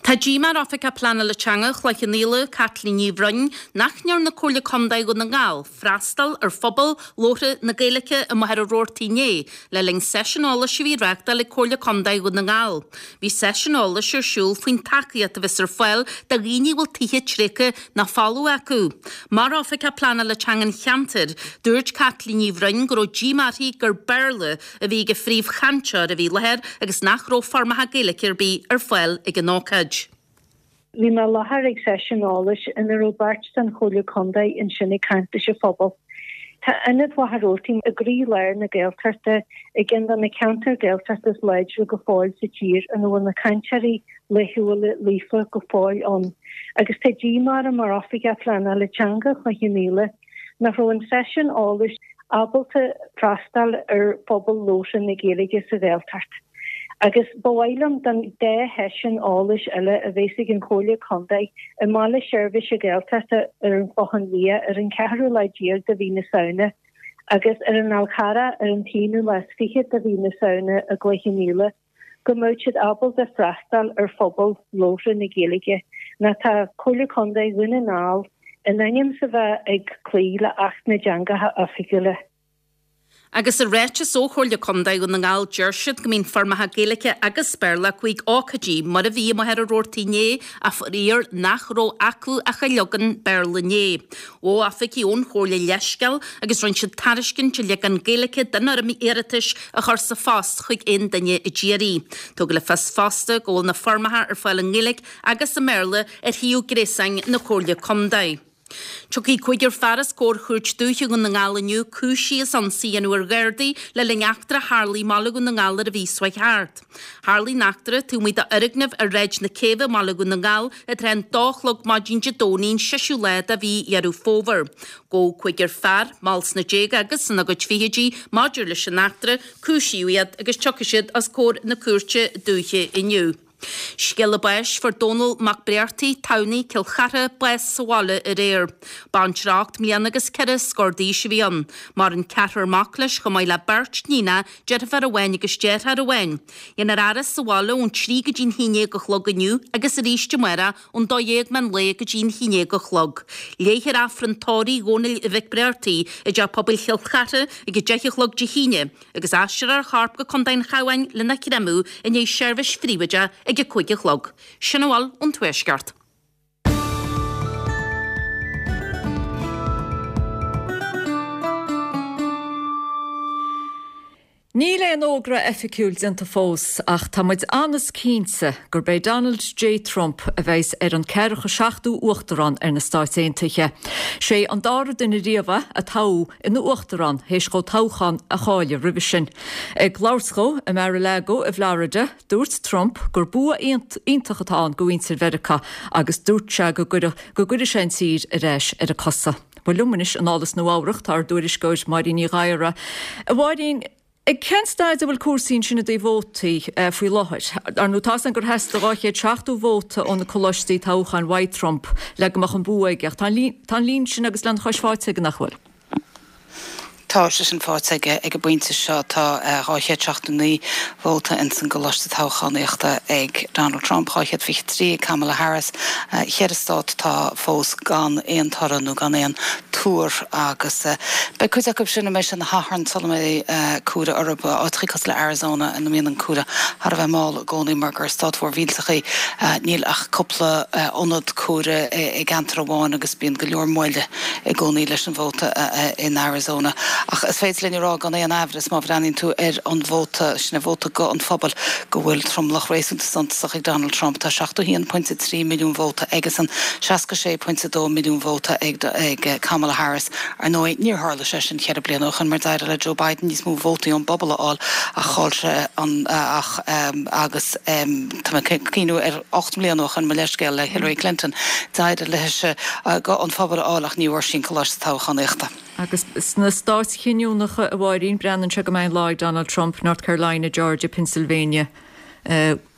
Tá díomá ar Oifigeach Pleanála Teanga Chloich Cheann Fhaola, Caitlín Ní Bhroin, nach ndearna Comhairle Contae Dhún na nGall freastal ar phobal labhartha na Gaeilge i Machaire Rabhartaigh inné le linn seisiún eolais a bhí á reáchtáil ag Comhairle Contae Dhún na nGall. Bhí seisiún eolais ar siúl faoin tacaíocht a bheas ar fáil do dhaoine a bhfuil tithe tréigthe nó folamh acu. Mar Oifigeach Pleanála Teanga an cheantair, dúirt Caitlín Ní Bhroin go raibh díomá uirthi gur Béarla a bhí ag an phríomhchainteoir a bhí i láthair agus nach raibh foirmeacha Gaeilge ar bith ar fáil ag an ócáid. Bhí mé i láthair ag seisiún eolais ina raibh beirt den Chomhairle Contae ansin ag caint leis an phobal. Tá Ionad Mhachaire Rabhartaigh i gcroílár na Gaeltachta, i gceann de na ceantair Gaeltachta is láidre go fóill sa tír ina bhfuil na cainteoirí laethúla líofa go fóill ann. Agus tá díomá orm mar Oifigeach Pleanála Teanga Chloich Cheann Fhaola nach raibh an seisiún eolais ábalta freastal ar phobal labhartha na Gaeilge sa Ghaeltacht. Agus ba mhaith liom don dá sheisiún eolais eile a bheas ag an Chomhairle Contae i mBaile Seirbhíse Gaeltachta ar an Chlochán Liath ar an ceathrú lá déag de mhí na Samhna agus ar an Fhál Carrach ar an t-aonú lá is fiche de mhí na Samhna i gCloich Cheann Fhaola go mbeadh siad ábalta freastal ar phobal labhartha na Gaeilge. Nó tá Comhairle Contae Dhún na nGall in ainm is a bheith ag cloí le Acht na dTeangacha Oifigiúla. Agus i ráiteas ó Chomhairle Contae Dhún na nGall deir siad go mbíonn foirmeacha Gaeilge agus Béarla acu ag ócáidí mar a bhí i Machaire Rabhartaigh inné ach faraor nach raibh acu ach an leagan Béarla inné. Ghabh oifigigh ón Chomhairle leithscéal agus rinne siad tairiscint an leagan Gaeilge den fhoirm iarratais a chur sa phost chuig aon duine a d'iarr. Tugadh le fios fosta go bhfuil na foirmeacha ar fáil i nGaeilge agus i mBéarla ar shuíomh gréasáin na Comhairle Contae. Tiocfaidh cúigear fear os comhair Chúirt Dúiche Dhún na nGall inniu cúisithe as ionsaí a dhéanamh ar Ghardaí le linn eachtra a tharlaigh i mbaile Dhún na nGall ar an mhí seo chuaigh thart. Tharlaigh an eachtra taobh amuigh d'fhoirgneamh ar Shráid na Céibhe i mbaile Dhún na nGall i dtrátha an dó a chlog maidin Dé Domhnaigh an seisiú lá de mhí Dheireadh Fómhair. Gabhadh cúigear fear, ball sna déaga agus ina gcuid fichidí, maidir leis an eachtra, cúisíodh iad agus tiocfaidh siad os comhair na Cúirte Dúiche inniu. Scéala báis Fuair Dónal Mac Bréartaigh, Tamhnaigh, Cill Chartha, bás sa bhaile aréir. Baintreach ocht mbliana agus ceithre scór d'aois a bhí ann. Maireann ceathrar mac leis chomh maith le beirt níonacha, deirfiúr amháin agus deartháir amháin. Déanfar a fhaire sa bhaile ón trí go dtí'n haon déag a chlog inniu agus arís amárach ón dó dhéag meán lae go dtí'n haon déag a chlog. Léifear Aifreann tórraimh Dhónaill Mhic Bréartaigh i dTeach Pobail Chill Chartha ag a deich a chlog Dé hAoine agus aistreofar a chorp go Contae an Chabháin lena chreimeadh i ndiaidh seirbhís phríobháideach ag a cúig a chlog. Sin a bhfuil ón Tuaisceart. Níl aon fhógra oifigiúil déanta fós ach tá muid an-chinnte gurb é Donald J. Trump a bheas ar an ceathracha seachtú uachtarán ar na Stáit Aontaithe. Sé an dara duine riamh a toghadh ina uachtarán théis dó toghchán a chailleadh roimhe sin. Ag labhairt dó i Mar-a-Lago i bhFlorida, dúirt Trump gur bua iontach atá ann do mhuintir Mheiriceá agus dúirt sé go gcuirfidh sé an tír ar ais ar a cosa. Bhuel liom anois anall as Nua-Eabhrac tá ár dtuairisceoir Máirín Ní Ghadhra. A Mháirín, ag cén staid a bhfuil cúrsaí ansin i dtaobh vótaí faoi láthair? Ar ndóigh tá a fhios againn gur theastaigh dhá chéad seachtó vóta ó na coláistí toghcháin uaidh Trump le go mbeadh an bua aige ach tá an líon sin agus lena chois faighte aige nach bhfuil? Tá sé sin faighte aige ag an bpointe seo. Tá dhá chéad seachtó naoi vóta ins an gcoláiste toghchánaíochta ag Donald Trump, dhá chéad fiche trí ag Kamala Harris. Cheithre stát atá fós gan aon toradh nó gan aon tuar agus beidh cuid acu sin a mbeidh sé ina Shatharn sula mbeidh comhaireamh orthu, áiteachaí cosúil le Arizona ina mbíonn an comhaireamh thar a bheith mall i gcónaí mar gur stát mhór mhillteach í. Níl ach cúpla ionad comhairimh i gceantar amháin agus bíonn go leor moille i gcónaí leis an vóta in Arizona. Ach is féidir linn a rá gan aon aimhreas má bhreathnaíonn tú ar an vóta, sin é vóta guth an phobail, go bhfuil tromlach réasúnta suntasach ag Donald Trump. Tá seachtó a haon pointe trí milliún vóta aigesan, seasca sé pointe dó milliún vóta ag Kamala Harris. Ar ndóigh, níor tharla sé sin ceithre bliana ó shin mar d'éirigh le Joe Biden níos mó vótaí ón bpobal a fháil ach chaill sé an ach agus tá mé ag cuimhniú ar ocht mbliana ó shin, mo leithscéal, le Hillary Clinton, d'éirigh léise guth an phobail a fháil ach ní bhfuair sí an coláiste toghchánaíochta. Agus sna stáit chinniúnacha, a Mháirín, breathnaíonn sé go mbeidh an lá ag Donald Trump, North Carolina, Georgia, Pennsylvania,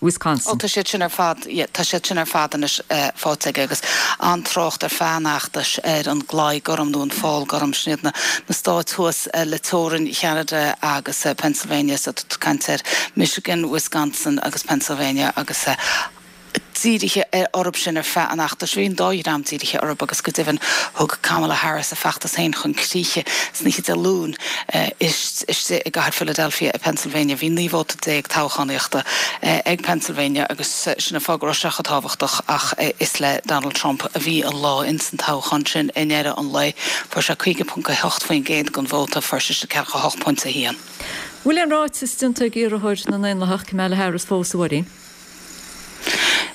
Wisconsin. Ó tá siad sin ar fad, yeah, tá siad sin ar fad anois faighte aige agus an-trácht ar feadh an fheachtais ar an gclaí gorm nó an fál gorm, sin iad na na stáit thuas le teorainn Cheanada agus Pennsylvania, so tá caint ar Michigan, Wisconsin agus Pennsylvania agus dírithe orthu sin ar feadh an fheachtais. Bhí an dá dhream dírithe orthu agus go deimhin thug Kamala Harris a feachtas féin chun críche san oíche Dé Luain istigh i gcathair Philadelphia i Pennsylvania. Bhí naoi vóta déag toghchánaíochta ag Pennsylvania agus sin an fáth go raibh sé chomh tábhachtach ach is le Donald Trump a bhí an lá ins an toghchán sin i ndeireadh an lae. Fuair sé caoga ponc a hocht faoin gcéad den vóta, fuair sise ceathracha a hocht pointe a haon. Bhfuil aon ráiteas déanta ag iarrthóir na nDaonlathach Kamala Harris fós, a Mháirín?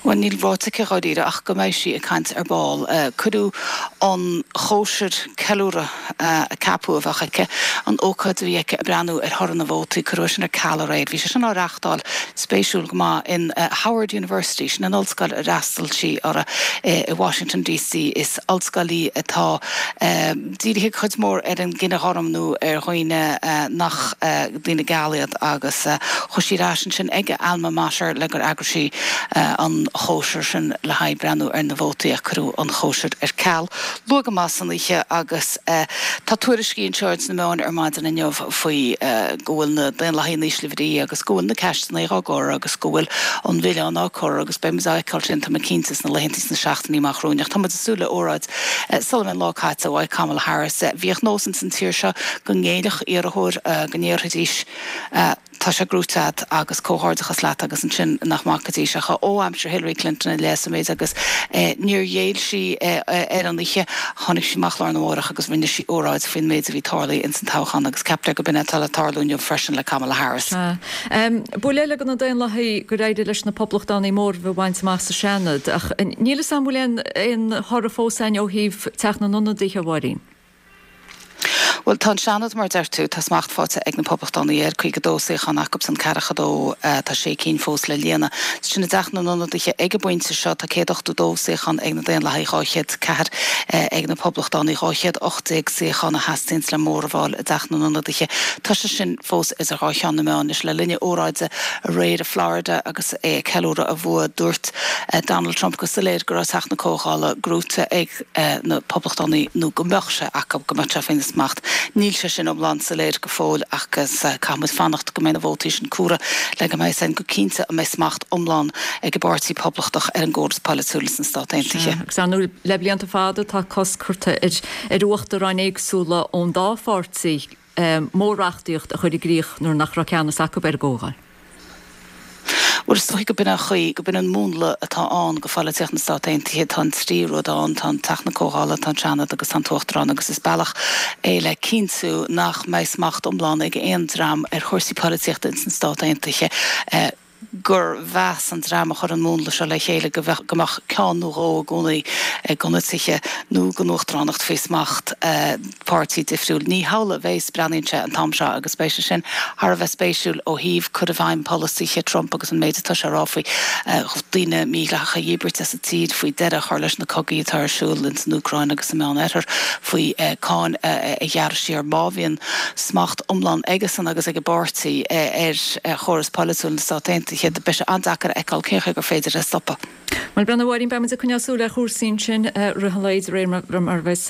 Bhuel, níl ráite aici dháiríre ach go mbeidh sí ag caint ar ball. Cuireadh an chóisir ceiliúradh a ceapadh a bheadh aici, an ócáid a bhí aici ag breathnú ar thoradh na vótaí, cuireadh é sin ar ceal aréir. Bhí sé sin á reáchtáil, spéisiúil go maith, in Howard University, sin an ollscoil ar fhreastail sí uirthi i Washington DC. Is ollscoil í atá dírithe cuid mhór ar an gcine ghorm nó ar dhaoine nach daoine geala iad agus chuaigh sí ar ais ansin ag a alma mater le gur eagraigh sí an chóisir sin le haghaidh breathnú ar na vótaí ach cuireadh an chóisir ar ceal luath go maith san oíche agus tá tuairiscí anseo ins na meáin ar maidin inniu faoi go bhfuil na Daonlathaigh in ísle bhrí agus go bhfuil na ceisteanna á gcur agus go bhfuil an milleán á cur agus beidh muid á fheiceáil sin tá mé cinnte sna laethanta sna seachtainí amach romhainn ach tá muid ag súil le óráid sula mbeidh an lá caite uaidh Kamala Harris. Bhíodh nós ins an tír seo go ngéillfeadh iarrthóir go ndéarfaidís Tá sé gnóite agat agus comhghairdeachas leat agus ansin nach mbacaidís ach ó aimsir Hillary Clinton i leith sa méid agus níor ghéill sí ar an oíche. Tháinig sí amach lá arna mhárach agus rinne sí óráid faoin méid a bhí tarlaithe ins an toghchán agus ceaptar go b'in é atá le tarlú inniu freisin le Kamala Harris. Bua eile do na Daonlathaigh gur éirigh leis na Poblachtánaigh móramh a bhaint amach sa Seanad ach níl fhios a'm bhfuil aon thoradh fós a'inn ó thaobh Teach na nIonadaithe, a Mháirín. Bhuel, tá an Seanad, mar a deir tú, tá smacht faighte ag na Poblachtánaigh air, caoga dó suíochán acusan, ceathracha dó, tá sé cinn fós le líonadh. Sin i dTeach na nIonadaithe ag an bpointe seo, tá céad ochtó dó suíochán ag na Daonlathaigh, dhá chéad ceathair ag na Poblachtánaigh, dhá chéad ocht déag suíochán a theastaíonns le móramh a fháil i dTeach na nIonadaithe. Tá sé sin fós idir dhá cheann na meá anois. Le linn a óráide aréir i Florida agus é ag ceiliúradh a bhua, dúirt Donald Trump go soiléir go raibh Teach na Comhdhála gnóite ag na Poblachtánaigh nó go mbeadh sé acu, go mbeadh sé faoina smacht. Níl sé sin iomlán soiléir go fóill agus caithfidh muid fanacht go mbeidh na vótaí sin comhairthe le go mbeidh a fhios againn go cinnte an mbeidh smacht iomlán ag an bPáirtí Poblachtach ar an gcóras polaitiúil sna Stáit Aontaithe. Agus ar ndóigh le blianta fada tá cosc curtha ar uachtaráin éagsúla ón dá pháirtí mór-reachtaíocht a chur i gcrích nuair nach raibh ceannas acu ar an gComhdháil. Bhuel, is dóigh go b'in an chaoi, go b'in an múnla atá ann go pholaitíocht na Stát Aontaithe. Tá an trí rud ann, tá an Teach na Comhdhála, tá an Seanad agus tá an tUachtarán agus is bealach é le cinntiú nach mbeidh smacht iomlán ag aon dream ar chúrsaí polaitíochta ins na Stát Aontaithe. gur mheas an dream a chuir an múnla seo le chéile go bheadh, go mbeadh ceann nó dhó i gcónaí de na tithe nó den uachtaránacht faoi smacht páirtí difriúil. Ní hamhlaidh a bheas, breathnaíonn sé an t-am seo agus beidh sé sin thar a bheith spéisiúil ó thaobh cur i bhfeidhm polasaithe Trump agus an méid atá sé a rá faoi daoine mídhleathacha a dhíbirt as an tír, faoi deireadh a chur leis na cogaí atá ar siúl ins an Úcráin agus sa Meán-Oirthear, faoi cáin a ghearradh siar. Má bhíonn smacht iomlán aigesan agus ag a bpáirtí ar chóras polaitiúil na Stát Aontaithe, beidh sé an-deacair a fheiceáil cén chaoi gur féidir é a stopadh. Bhuel, a Mháirín, beidh muid ag coinneáil súil ar chúrsaí ansin i rith an lae de réir mar a bheas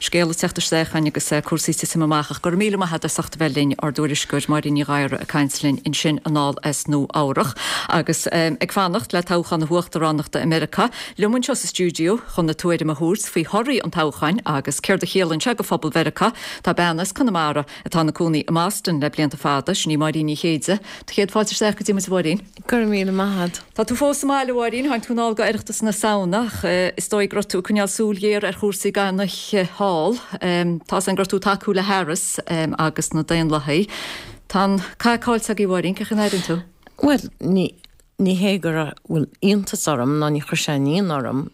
scéal ag teacht isteach chugainn agus cúrsaí ag titim amach. Ach go raibh míle maith agat as ucht a bheith linn, ár dtuairisceoir Máirín Ní Ghadhra ag caint linn ansin anall as Nua Eabhrach. Agus ag fanacht le toghchán na huachtaránachta i Meiriceá, liom anseo sa stiúideo chun a tuairim a thabhairt faoi thorthaí an toghcháin agus céard a chiallaíonn sé go phobal Mheiriceá, tá bean as Conamara atá ina cónaí i mBoston le blianta fada, sin í Máirín Ní Chéide. Do chéad fáilte isteach go dtí muid a Mháirín. Go raibh míle maith agat. Tá tú fós sa mbaile, a Mháirín, tháinig tú anall go Oireachtas na Samhna ach is dóigh go raibh tú ag coinneáil súil ghéar ar chúrsaí gan oíche thall. Tá 's againn go raibh tú ag tacú le Harris agus na Daonlathaigh. Tá an cath caillte agaibh, a Mháirín, cén chaoi a n-airíonn tú? Bhuel, ní ní hé go bhfuil iontas orm ná ní chuir sé aon ionadh orm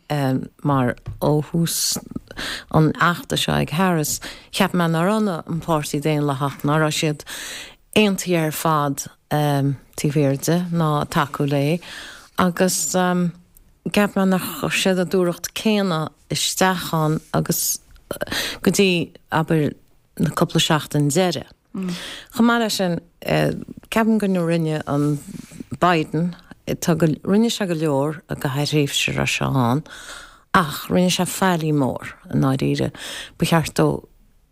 mar ó thús an fheachtais seo ag Harris, cheap mé nár fhan an Páirtí Daonlathach, ná raibh siad aontaithe ar fad taobh thiar di ná ag tacú léi agus cheap mé nár chuir siad an dúthracht céanna isteach ann agus go dtí, abair, na cúpla seachtain deiridh. Chomh maith leis sin, ceapaim go rinne an Biden, tá go, rinne sé go leor i gcaitheamh thréimhse a raibh sé ann ach rinne sé faillí mór i ndáiríre. Ba cheart dó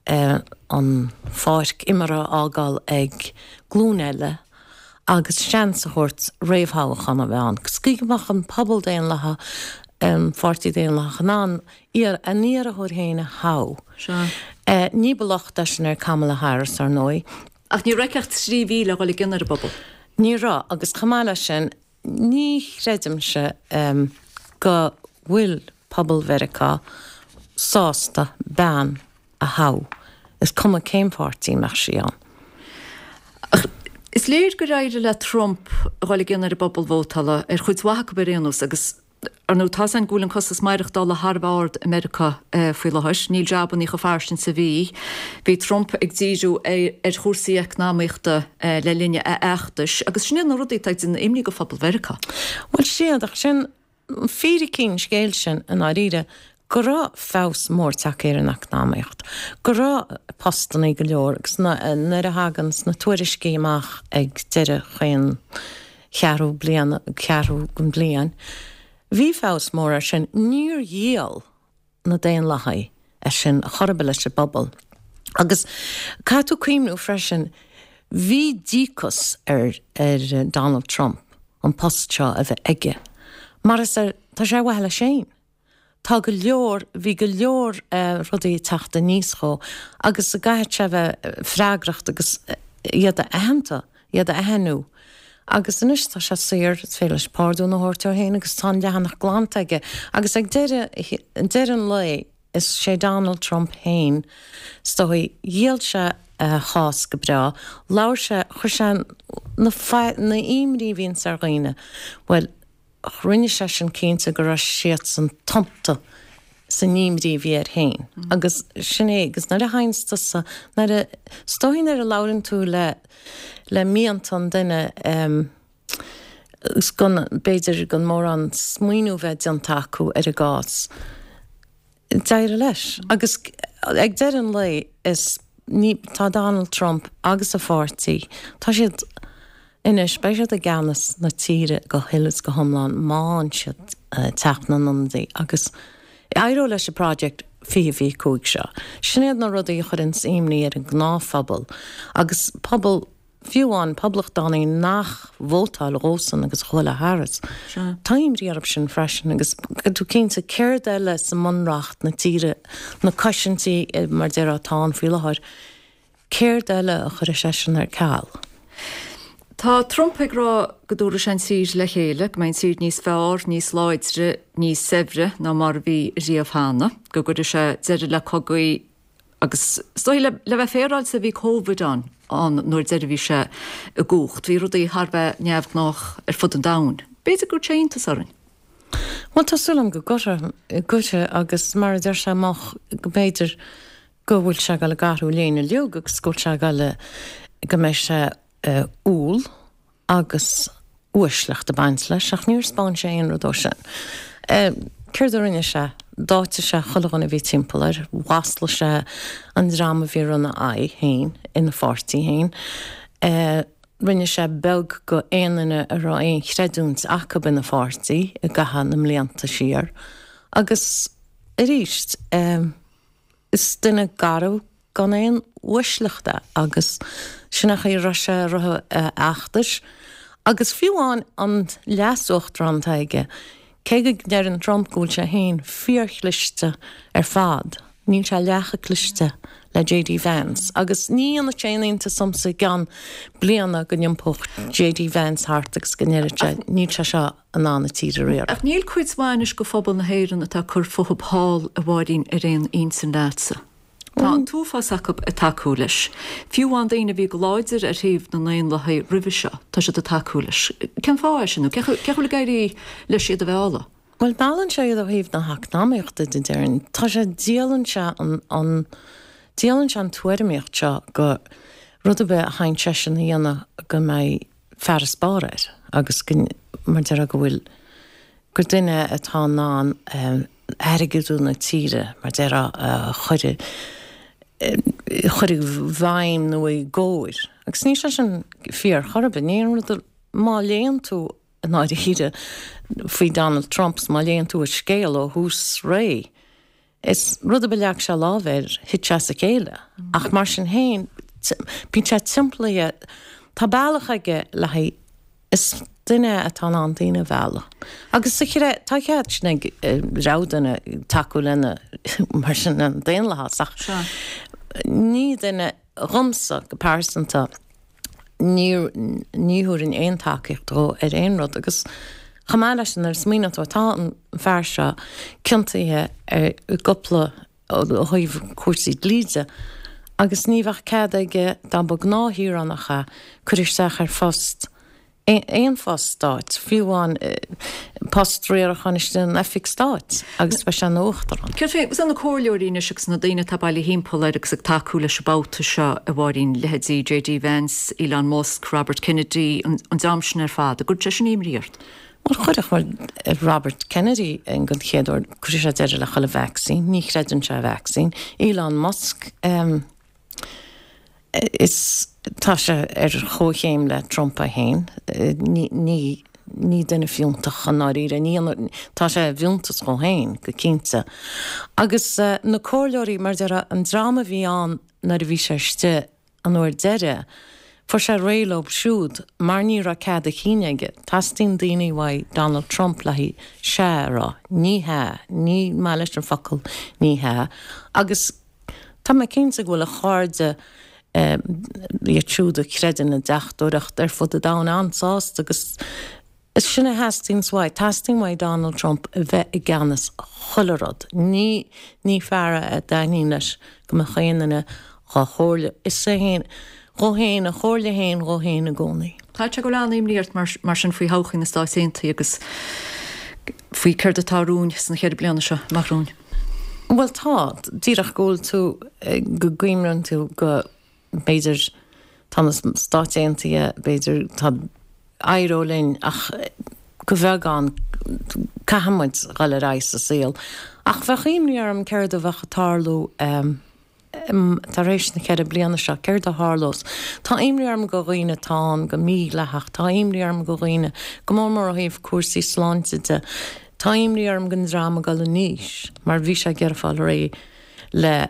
an pháirc imeartha a fhágáil ag glúin eile agus seans a thabhairt réamhthoghchán a bheith ann. Sa gcaoi go mbeadh an pobal Daonlathach, an Pháirtí Daonlathach in ann a n-iarrthóir féin a thoghadh. Ní ba locht é sin ar Kamala Harris, ar ndóigh. Ach ní raibh ach trí mhí le dhul i gcion ar an bpobal. Ní raibh, agus chomh maith leis sin, ní chreidimse go bhfuil pobal Mheiriceá sásta bean a thoghadh, is cuma cén pháirtí a mbeadh sí ann. Ach is léir gur éirigh le Trump a dhul i gcion ar an bpobal vótála, ar chuid mhaith acu ar aon nós, agus ar ndóigh tá's againn go bhfuil an costas maireachtála thar a bheith ard i Meiriceá faoi láthair. Níl jabannaí chomh fairsing is a bhí. Bhí Trump ag díriú ar chúrsaí eacnamaíochta le linn a fheachtais, agus sin iad na rudaí atá ag déanamh imní go phobal Mheiriceá. Bhuel, siad, ach sin fíricí an scéil sin i ndáiríre, go raibh feabhas mór tagtha ar an eacnamaíocht, go raibh postannaí go leor agus nuair a thagann na tuairiscí amach ag deireadh chaon cheathrú bliana, ceathrú den bhliain, bhí feabhas mór air sin. Níor dhíol na Daonlathaigh é sin chor ar bith leis an bpobal. Agus caithfidh tú cuimhniú freisin, bhí díocas ar ar Donald Trump an post seo a bheith aige, mar is ar, tá sé ar mhaithe leis féin. Tá go leor, bhí go leor rudaí ag teacht aníos dhó agus go gcaithfidh sé a bheith freagracht agus iad a aitheanta, iad a aithniú. Agus anois tá sé saor, is féidir leis pardún a thabhairt dó féin agus tá an leathanach glanta aige. Agus ag deireadh, deireadh an lae, is sé Donald Trump féin, is dóigh, dhíol sé a chás go breá, labhair sé, chuir sé na, na imní a bhíonns ar dhaoine, bhuel, rinne sé sin cinnte go raibh siadsan tumta san imní a bhí air féin. Agus sin é, agus nuair a théanns tusa, nuair a, is dóigh nuair a labhrann tú le, le mianta an duine, agus gan, b'fhéidir gan mórán smaoineamh bheith déanta acu ar an gcás, d'éirigh leis. Agus ag deireadh an lae, is, ní, tá Donald Trump agus a pháirtí, tá siad, Anois, beidh siad i gceannas na tíre go huile is go hiomlán má fhaigheann siad Teach na nIonadaí agus éireoidh leis an Project fiche fiche cúig seo. Sin iad na rudaí a chuireanns imní ar an ngnáthphobal agus pobal, fiú amháin poblachtánaigh nach vótáil dhósan agus a chuaigh le Harris. Tá imní orthu sin freisin agus tú cinnte céard eile sa mbunreacht na tíre, na cosaintí mar déarfá atá ann faoi láthair, Céard eile a chuirfidh seisean ar ceal? Tá Trump ag rá go dtabharfaidh sé an tír le chéile, go mbeidh an tír níos fearr, níos láidre, níos saibhre ná mar a bhí riamh cheana, go gcuirfidh sé deireadh le cogaí agus is dóigh le bheith féaráilte bhí Covid ann an uair deiridh a bhí sé i gcumhacht. Bhí rudaí thar bheith neamhghnách ar fud an domhain. B'fhéidir go gcuirfidh sé iontas orainn. Bhuel, tá súil agam go gcuirfidh agus mar a deir sé amach go mb'fhéidir go bhfuil sé ag dul ag athrú léine uilig agus go bhfuil sé ag dul go mbeidh sé umhal agus uaisleacht ag baint leis ach níor 'spáin sé aon rud dó sin. Céard a rinne sé? D'áitigh sé chuile dhuine a bhí timpeall air, mhaslaigh sé an dream a bhí ag run ina aghaidh féin, ina pháirtí féin. Rinne sé beag go aon duine a raibh aon chreidiúint acu ina pháirtí i gcaitheamh na mblianta siar agus arís, Is duine garbh gan aon uaisleacht é agus sin an chaoi a raibh sé i rith a fheachtais. Agus fiú amháin an leas-uachtarán atá aige, cé go ndeireann Trump go bhfuil sé féin fíorchliste ar fad, níl sé leath chomh cliste le JD Vance. Agus ní dhéanfadh sé aon iontas domsa i gceann bliana go n-iompódh JD Vance thart agus go ndéarfadh sé, níl sé seo in ann an tír a riaradh. Ach níl cuid mhaith anois de phobal na hÉireann atá ag cur fúthu thall, a Mháirín, ar aon intinn leatsa. Tá an t-uafás acu ag tacú leis. Fiú amháin daoine a bhí go láidir ar thaobh na nDaonlathaigh roimhe seo, tá siad ag tacú leis. Cén fáth é sin nó cén chaoi a bhfuil ag éirí leis iad a mhealladh? Bhuel, meallann sé iad ó thaobh na heacnamaíochta de, déarfainn. Tá sé, díolann sé an, an, díolann sé an tuairimíocht seo go rud ar bith a théann seisean a dhéanamh go mbeidh farasbarr air agus go, mar déarfá go bhfuil, gur duine atá in ann airgeadú na tíre, mar déarfá, a chur i, a chur i bhfeidhm nó i gcóir. Agus níl sé sin fíor chor ar bith. Ní aon rud a, má léann tú i ndáiríre faoi Donald Trump 's má léann tú a scéal ó thús ré, is rud ar bith a leag sé lámh air, thit sé as a chéile. Ach mar sin féin, bíonn sé timpeallaithe, tá bealach aige le haghaidh, is duine é atá in ann daoine a mhealladh. Agus sa chre, tá cead sin ag rogha duine tacú lena, mar sin, an daonlathas ach ní duine, dhomsa go pearsanta, ní thabharfainn aon tacaíocht dhó ar aon rud agus chomh maith leis sin nuair a smaoiníonn tú tá an fear seo ciontaithe ar i gcúpla ó thaobh cúrsaí dlí de agus ní bheadh cead aige dá mba gnáthshaoránach é cur isteach ar phost aon phost stáit, fiú amháin post riaracháin istigh in oifig stáit agus beidh sé ina uachtarán. Céard faoi na comhairleoirí anois agus na daoine atá bailithe thimpeall air agus ag tacú leis an babhta seo, a Mháirín, leithéidí JD Vance, Elon Musk, Robert Kennedy, an dream sin ar fad, an gcuireann sé sin imní ort? Bhuel, chuirfeadh, mar Robert Kennedy den chéad uair, cuirfidh sé deireadh le chuile vacsaín, ní chreideann sé i vacsaín. Elon Musk, Is tá sé ar chomhchéim le Trump é féin. Ní, ní, ní duine fiúntach i ndáiríre. Ní, tá sé i bhfiúntas dhó féin, go cinnte. Agus na comhairleoirí, mar a déarfá, an dream a bhí ann nuair a bhí sé istigh an uair deiridh, fuair sé réidh leo siúd mar ní raibh cead a chinn aige. Teastaíonn daoine uaidh Donald Trump le haghaidh sea a rá. Ní hea. Ní maith leis an focal ní hea. Agus. Tá mé cinnte go bhfuil a chairde, iad siúd a chreideann i ndeachtóireacht ar fud an domhain, an-sásta agus is sin a theastaíonns uaidh. Teastaíonn uaidh Donald Trump a bheith i gceannas chuile rud. Ní, ní fear é a dtaitníonn leis go mbeadh aon duine dhá chomhairle. Is é féin, dhó féin, a chomhairle féin dhó féin i gcónaí. Tá sé go bhfuil an-imní ort mar sin faoi thodhchaí na Stáit Aontaithe agus faoi céard atá romhainn sna ceithre bliana seo amach romhainn. Bhuel tá, díreach go bhfuil tú, go gcuimhníonn tú go b'fhéidir tá na Stáit Aontaithe, b'fhéidir tá éireoidh linn ach go bheagán caithfidh muid dhul ar aghaidh sa saol. Ach bheadh imní orm céard a bheadh ag tarlú tar éis na ceithre bliana seo, céard a tharlós? Tá imní orm go dhaoine atá ann go mídhleathach, tá imní orm go dhaoine, go mór mór ó thaobh cúrsaí sláinte de, tá imní orm don dream ag dul in aois, mar bhí sé ag iarraidh fáil réidh le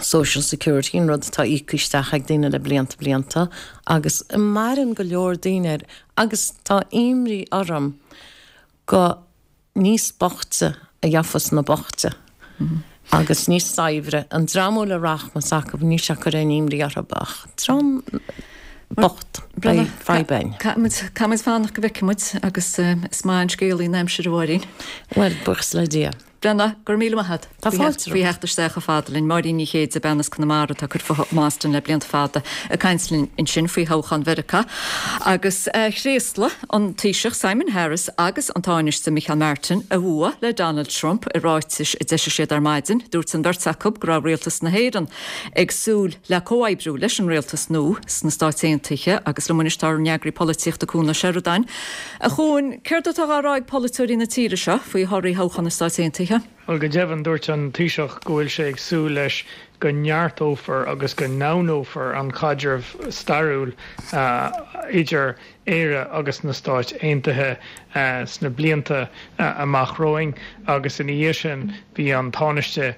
Social Security, an rud atá íoctha isteach ag daoine le blianta blianta, agus maireann go leor daoine air, agus tá imní orm go níos boichte a gheofas na boichte agus níos saibhre an dream a bhfuil rachmas acu, níl sé ag cur aon imní orthu ach dream bocht, beidh fadhb againn. Caithfidh muid fanacht go bhfeicfidh muid agus is maith an scéalaí an aimsir a Mháirín. Bhuel, buíochas le Dia. Brenna, go raibh míle maith agat. Tá fáilte Faoi theacht isteach chomh fada linn. Máirín Ní Chéide, bean as Conamara atá ag cur fúithi in Austin le blianta fada, ag caint linn ansin faoi thoghchán Mheiriceá. Agus thréaslaigh an Taoiseach Simon Harris agus an Tánaiste Micheál Martin a bhua le Donald Trump i ráitis a d'eisigh siad ar maidin. Dúirt an bheirt acu go raibh rialtas na hÉireann ag súil le comhoibriú leis an rialtas nua sna Stáit Aontaithe agus liom anois tá ár n-eagraí polaitíochta Cuan Ó Seireadáin. A Chuain, céard atá á rá ag polaiteoirí na tíre seo faoi thorthaí thoghchán na Stáit Aontaithe? Bhuel, go deimhin, dúirt an Taoiseach go bhfuil sé ag súil leis go neartófar agus go ndomhnófar an caidreamh stairiúil idir Éire agus na Stáit Aontaithe sna blianta amach romhainn agus ina dhiaidh sin bhí an Tánaiste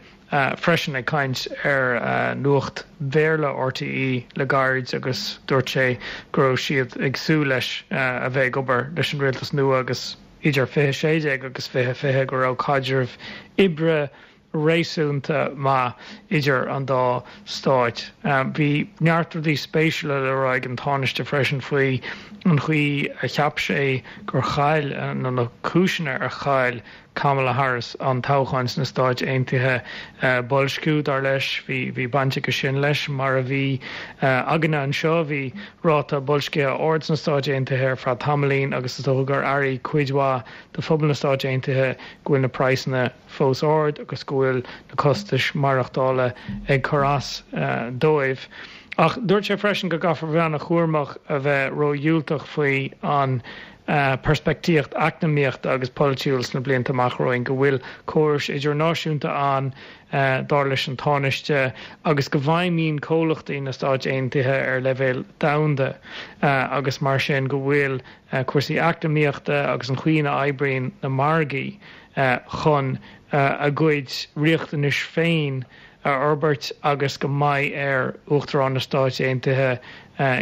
freisin ag caint ar Nuacht Bhéarla RTÉ le gairid agus dúirt sé go raibh siad ag súil leis a bheith ag obair leis an rialtas nua agus idir fiche sé déag agus fiche fiche go raibh caidreamh oibre réasúnta maith idir an dá stáit. Bhí neart rudaí spéisiúla le rá ag an Tánaiste freisin faoi an chaoi a cheap sé gur chaill, nó na cúiseanna ar chaill Kamala Harris an toghchán sna Stáit Aontaithe. Boilsciú, dar leis, bhí bhí baint aige sin leis, mar a bhí againne anseo. Bhí ráta boilscithe ard sna Stáit Aontaithe ar feadh tamaillín agus is dócha gur airigh cuid mhaith de phobal na Stáit Aontaithe go bhfuil na praghsanna fós ard agus go bhfuil na costais maireachtála ag cur as dóibh. Ach dúirt sé freisin go gcaithfear bheith an-chúramach a bheith ródhiúltach faoi an peirspictíocht eacnamaíochta agus polaitiúil sna blianta amach romhainn, go bhfuil córais idirnáisiúnta ann, dar leis an Tánaiste, agus go bhfeidhmíonn comhlachtaí na Stáit Aontaithe ar leibhéal domhanda agus mar sin go bhfuil cúrsaí eacnamaíochta agus an chaoi ina oibríonn na margaí chun a gcuid riachtanais féin a fhorbairt agus go mbeidh ar Uachtarán na Stáit Aontaithe,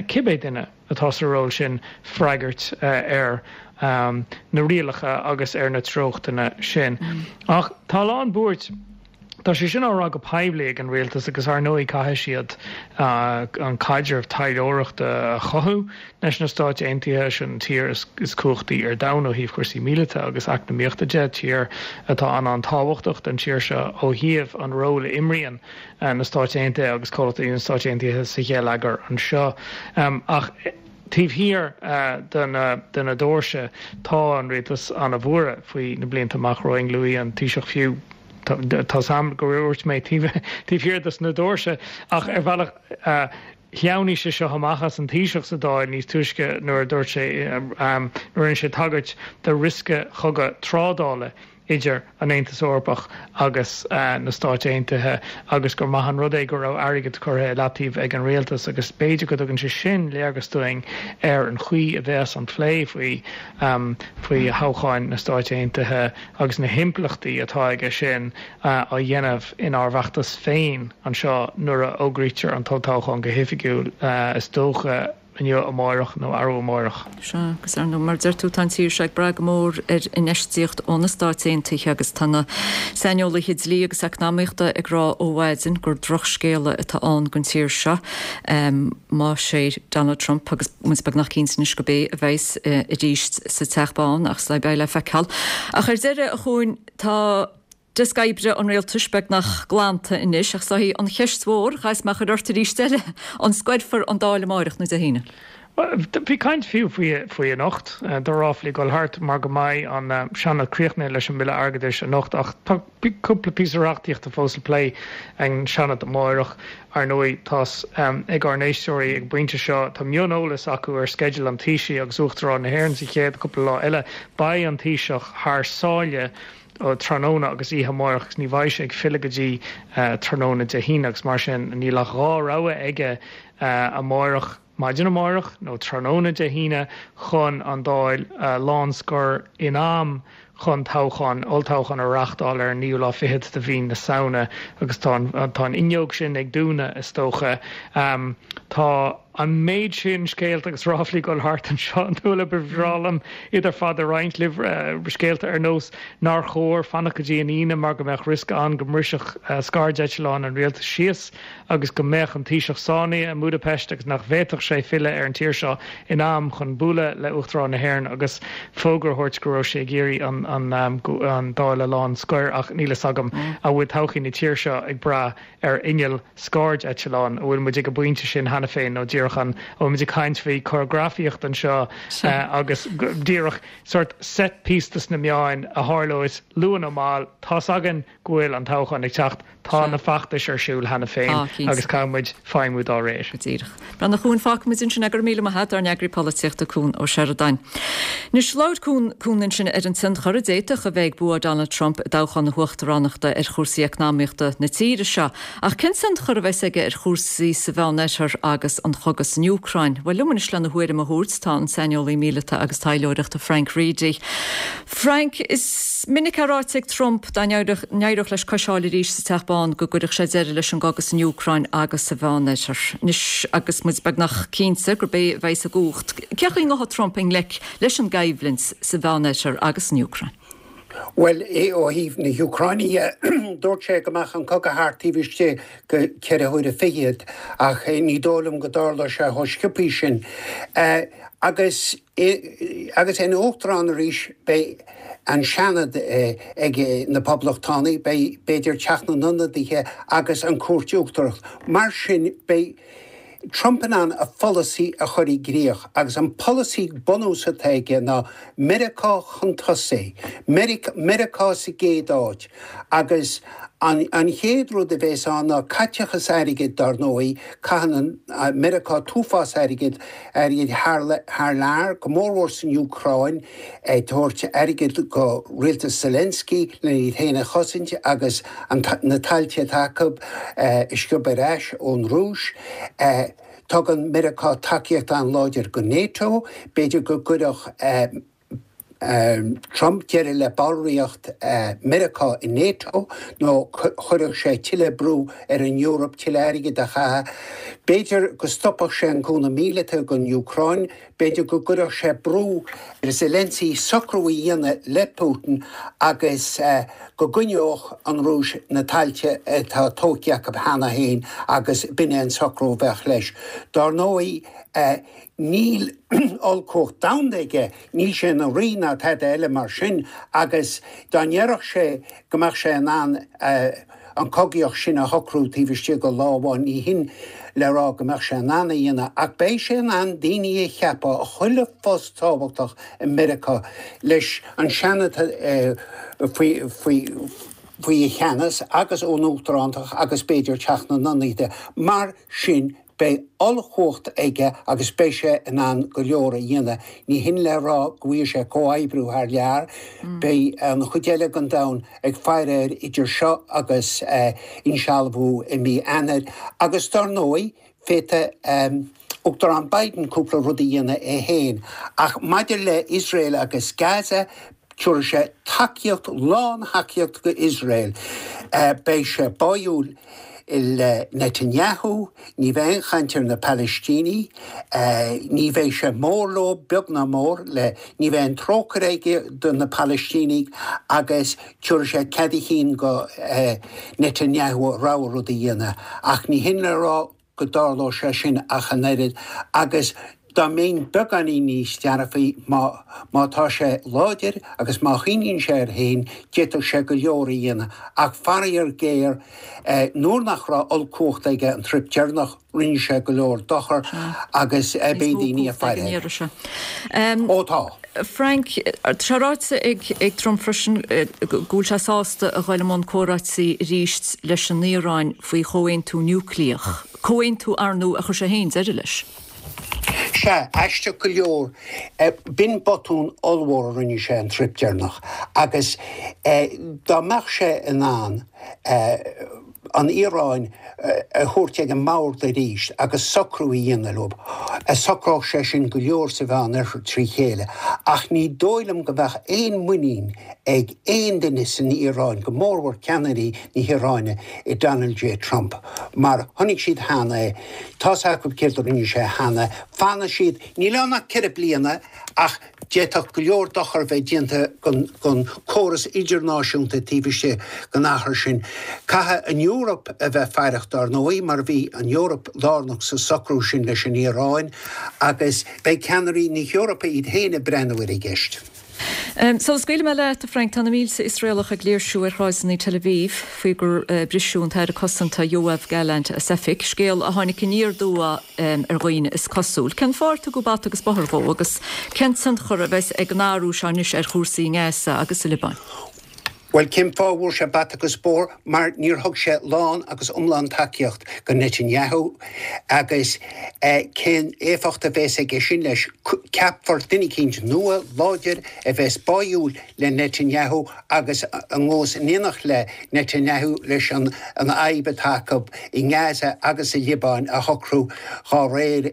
cibé duine atá sa ról sin, freagairt ar na rialacha agus ar na treochtanna sin. Ach tá a lán buairt. Tá sé sin á rá go poiblí ag an rialtas agus ar ndóigh caithfidh siad an caidreamh taidhleoireachta a chothú leis na Stáit Aontaithe, sin an tír is cumhachtaí ar domhan ó thaobh cúrsaí míleata agus eacnamaíochta de, tír atá an-an-tábhachtach don tír seo ó thaobh an ról a imríonn na Stáit Aontaithe agus comhlachtaí na Stáit Aontaithe sa gheilleagar anseo. Ach taobh thiar de na doirse tá an rialtas an-bhuartha faoi na blianta amach romhainn, luaigh an Taoiseach fiú, Tá's a'm gur dhúirt mé taobh thiar dos na doirse ach ar bhealach shleamhnaigh sé seo amach as an Taoiseach sa Dáil níos túisce nuair a dúirt sé, nuair a rinne sé tagairt do riosca chogadh trádála idir an Aontas Eorpach agus na Stáit Aontaithe agus gur maith an rud é go raibh airgead curtha i leataobh ag an rialtas agus b'fhéidir go dtugann sé sin léargas dúinn ar an chaoi a bheas an plé faoi faoi thoghcháin na Stáit Aontaithe agus na himpleachtaí atá aige sin á dhéanamh inár bhfeachtas féin anseo nuair a fhógraítear an t-olltoghchán go hoifigiúil, is dócha, inniu, amárach nó arú amárach. Sea, agus ar ndóigh, mar a deir tú, tá an tír seo ag brath go mór ar infheistíocht ó na Stáit Aontaithe agus tá na saineolaithe dlí agus eacnamaíochta ag rá ó mhaidin gur drochscéala atá ann don tír seo más é Donald Trump, agus muid beagnach cinnte anois gurb é a bheas arís sa Teach Bán, ach beidh le feiceáil. Ach ar deireadh, a Chuain, tá deasc oibre an rialtais beagnach glanta anois, ach is í an cheist mhór, chaithfeas mé a chur ort arís eile, an scoirfear an Dáil amárach nó Dé hAoine? Bhí caint fiú faoi faoi anocht do ráflaí ag dul thart mar go mbeidh an Seanad críochnaithe leis an mBille Airgeadais anocht ach tá cúpla píosa reachtaíochta fós le plé ag an Seanad amárach. Ar ndóigh tá's ag ár n-éisteoirí ag an bpointe seo tá mioneolas acu ar sceideal an Taoisigh agus Uachtarán na hÉireann sa chéad cúpla lá eile. Beidh an Taoiseach thar sáile tráthnóna agus oíche amárach agus ní bheidh sé ag filleadh go dtí tráthnóna Dé hAoine agus mar sin níl ach dhá rogha aige amárach. maidin amárach nó tráthnóna Dé hAoine chun an Dáil a lánscor in am chun toghchán, olltoghchán a reáchtáil ar an naoú lá fichead de mhí na Samhna agus tá an tá an fhuinneog sin ag dúnadh is dócha. Tá an méid sin scéalta agus ráflaí ag dul thart anseo an Nuala ba bhreá liom iad ar fad a roinnt libh, scéalta ar nós nár chóir fanacht go dtí an Aoine mar go mbeadh riosca ann go mbrisfeadh scairdeitleán an rialtais síos agus go mbeadh an Taoiseach sáinnithe i mBudapest agus nach bhféadfadh sé filleadh ar an tír seo in am chun bualadh le Uachtarán na hÉireann agus fógra a thabhairt go raibh sé ag iarraidh an an an Dáil a lánscoir ach níl fhios agam an bhfuil todhchaí na tíre seo ag brath ar inneall scairdeitleáin, an bhfuil muid ag an bpointe sin cheana féin nó díreach an bhfuil muid ag caint faoi choreagrafaíocht anseo agus díreach sort set piece dos na meáin a tharlós luath nó mall, tá's againn go bhfuil an toghchán ag teacht, tá na feachtais ar siúl cheana féin agus caithfidh muid feidhmiú dá réir. Go díreach. Breathnach Chuan, fágfaidh muid ansin é, go raibh míle maith agat, ár n-eagraí polaitíochta Cuan Ó Seireadáin. Anois, labhair Cuan Cuan ansin ar an tionchar a d'fhéadfadh a bheith ag bua Donald Trump i dtoghchán na huachtaránachta ar chúrsaí eacnamaíochta na tíre seo. Ach cén tionchar a bheas aige ar chúrsaí sa Mheánoirthear agus an chogadh san Úcráin? Bhuel, liom anois lena thuairim a thabhairt tá an saineolaí míleata agus taidhleoireachta Frank Reidy. Frank, is minic é ráite ag Trump dá n-éireodh leis cois a fháil arís sa Teach Bán go gcuirfeadh sé deireadh leis an gcogadh san Úcráin agus sa Mheánoirthear. Anois agus muid beagnach cinnte gurb é a bheas i gcumhacht, cén chaoi a ngabhfaidh Trump i ngleic leis an gcoimhlint sa Mheánoirthear agus san Úcráin? Bhuel, ó thaobh na hÚcráine dhe, dúirt sé go mbeadh an cogadh thart taobh istigh de cheithre huaire fichead, ach ní dóigh liom go dtarlóidh sé chomh sciobtha sin. Agus agus é ina uachtarán arís, beidh an Seanad ag na Poblachtánaigh, beidh b'fhéidir Teach na nIonadaithe agus an Chúirt Uachtarach. Mar sin, beidh Trump in ann a pholasaí a chur i gcrích agus an polasaí bunús atá aige ná Meiriceá chun tosaigh, Meiriceá sa gcéad áit agus an an chéad rud a bheas ann ná caiteachas airgid dar ndóigh, caitheann Meiriceá an t-uafás airgid airgid thar thar lear, go mórmhór san Úcráin, ag tabhairt airgid go rialtas Zelensky lena iad féin a chosaint agus an na tailte atá acu a sciobadh ar ais ón Rúis. Tugann Meiriceá tacaíocht an-láidir go NATO. B'fhéidir go gcuirfeadh Trump deireadh le ballraíocht Meiriceá i NATO nó chuirfeadh sé tuilleadh brú ar an Eoraip tuilleadh airgid a chaitheamh. B'fhéidir go stopfadh sé an cúnamh míleata don Úcráin. B'fhéidir go gcuirfeadh sé brú ar Zelensky socrú a dhéanamh le Putin agus go gcoinneodh an Rúis na tailte atá tógtha acu cheana féin agus b'in é an socrú a bheadh leis. Dár ndóigh, níl ollchumhacht domhanda aige, níl sé ina rí ná tada eile mar sin agus dá ndéarfadh sé go mbeadh sé in ann an chogaíocht sin a shocrú taobh istigh de lá amháin, ní hin le rá go mbeadh sé in ann a dhéanamh ach beidh sé in ann daoine a cheapadh i chuile phost tábhachtach i Meiriceá leis an Seanad faoi faoi faoi a cheannas agus ón Uachtarántacht agus b'fhéidir Teach na nIonadaithe. Mar sin Beidh ollchumhacht aige agus beidh sé in ann go leor a dhéanamh. Ní hin le rá go bhfaighidh sé comhoibriú thar lear. Beidh an chuid eile den domhan ag faire air idir seo agus insealbhú i mí Eanáir. Agus dar ndóigh, féadfaidh Uachtarán Biden cúpla rud a dhéanamh é féin. Ach maidir le Iosrael agus Gaza, Tabharfaidh sé tacaíocht, lán-thacaíocht go Iosrael. Beidh sé báúil le Netanyahu, ní bheidh aon chaint ar na Palaistínigh, ní bheidh sé mór leo, beag ná mór, le, ní bheidh aon trócaire aige do na Palaistínigh agus tabharfaidh sé cead a chinn go Netanyahu a rogha rud a dhéanamh. Ach ní hin le rá go dtarlóidh sé sin ach an oiread agus Dá mbeinn beagáinín níos dearfaí, má má tá sé láidir agus má choinníonn sé air féin, d'fhéadfadh sé go leor a dhéanamh. Ach faraor géar, nuair nach raibh ollchumhacht aige an trip deireanach, rinne sé go leor dochar agus beidh daoine ag faire air. Ó tá. Frank, tá sé ráite ag Trump freisin go bhfuil sé sásta a dhul i mbun comhráití arís leis an Iaráin faoi chomhaontú núicléach, comhaontú ar ndóigh a chuir sé féin deireadh leis. Sea, aisteach go leor, b'in botún ollmhór a rinne sé an trip deireanach agus dá mbeadh sé in ann an Iaráin a thabhairt ag an mbord arís agus socrú a dhéanamh leo, socródh sé sin go leor sa Mheánoirthear trí chéile. Ach ní dóigh liom go mbeadh aon muinín ag aon duine san Iaráin, go mórmhór ceannairí na hIaráine, i Donald J Trump, mar chonaic siad cheana é, tá's acu céard a rinne sé cheana, fanfaidh siad, níl ann ach ceithre bliana, ach d'fhéadfadh go leor dochar bheith déanta don chóras idirnáisiúnta taobh istigh den achar sin. Caithfidh an Eoraip a bheith faireach dar ndóigh, mar bhí an Eoraip lárnach sa socrú sin leis an Iaráin, agus beidh ceannairí na hEorpa iad féin ag breathnú ar an gceist. Sula scaoilfidh mé leat, a Frank, tá na mílte Iosraelach ag léirsiú ar shráideanna Tel Aviv faoi gur briseadh an tAire Cosanta Yoav Gallant as oifig, scéal a tháinig aniar aduaidh ar dhaoine is cosúil. Cén fáth ar tugadh bata agus bóthar dhó agus cén tionchar a bheas ag an athrú seo anois ar chúrsaí i nGaza agus sa Liobáin? Bhuel, cén fáth a bhfuair sé bata agus bóthar? Mar níor thug sé lán agus iomlán tacaíocht do Netanyahu agus cén éifeacht a bheas aige sin leis? Ceapfar duine eicínt nua, láidir, a bheas báúil le Netanyahu agus a ngabhfas in éineacht le Netanyahu leis an fhadhb atá acu i nGaza agus sa Liobáin a shocrú dhá réir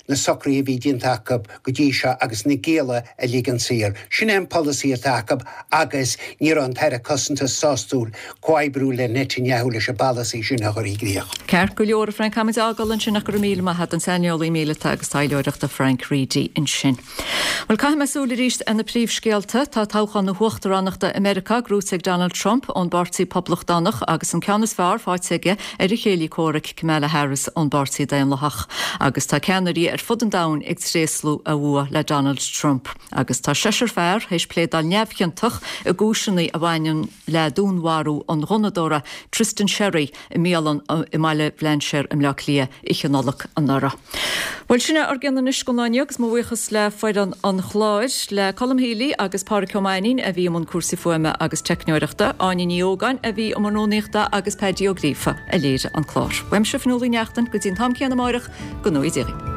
na socruithe a bhí déanta acu go dtí seo agus na gialla a ligean saor. Sin é an polasaí atá acu agus ní raibh an tAire Cosanta sástúil comhoibriú le Netanyahu leis an bpolasaí sin a chur i gcrích. Ceart go leor, a Frank, caithfimid a fhágáil ansin ach go raibh míle maith agat, an saineolaí míleata agus taidhleoireachta Frank Reidy ansin. Bhuel, caithfidh mé súil arís ar na príomhscéalta. Tá toghchán na huachtaránachta i Meiriceá gnóite ag Donald Trump ón bPáirtí Poblachtánach agus an ceann is fearr faighte aige ar a chéile comhraic Kamala Harris ón bPáirtí Daonlathach. Agus tá ceannairí ar fud an domhain ag tréaslú a bhua le Donald Trump. Agus tá seisear fear théis pléadáil neamhchiontach i gcúiseanna a bhaineann le dúnmharú an ghunnadóra Tristan Sherry i mbialann i mBaile Bhlainséir i mBleá Cliath oíche Nollag anuraidh. Bhuel, sin é ár gcion anois don lá inniu agus mo bhuíochas le foireann an chláir, le Colm Healy agus Pádraic Ó Mainnín a bhí i mbun cúrsaí fuaime agus teicneoireachta, Áine Ní Ógáin a bhí i mbun rúnaíochta agus Paddy Ó Gríofa a léirigh an clár. Uaimse Fionnuala Uí Neachtain go dtí an t-am céanna amáireach, go ngnóthaí Dia dhaoibh.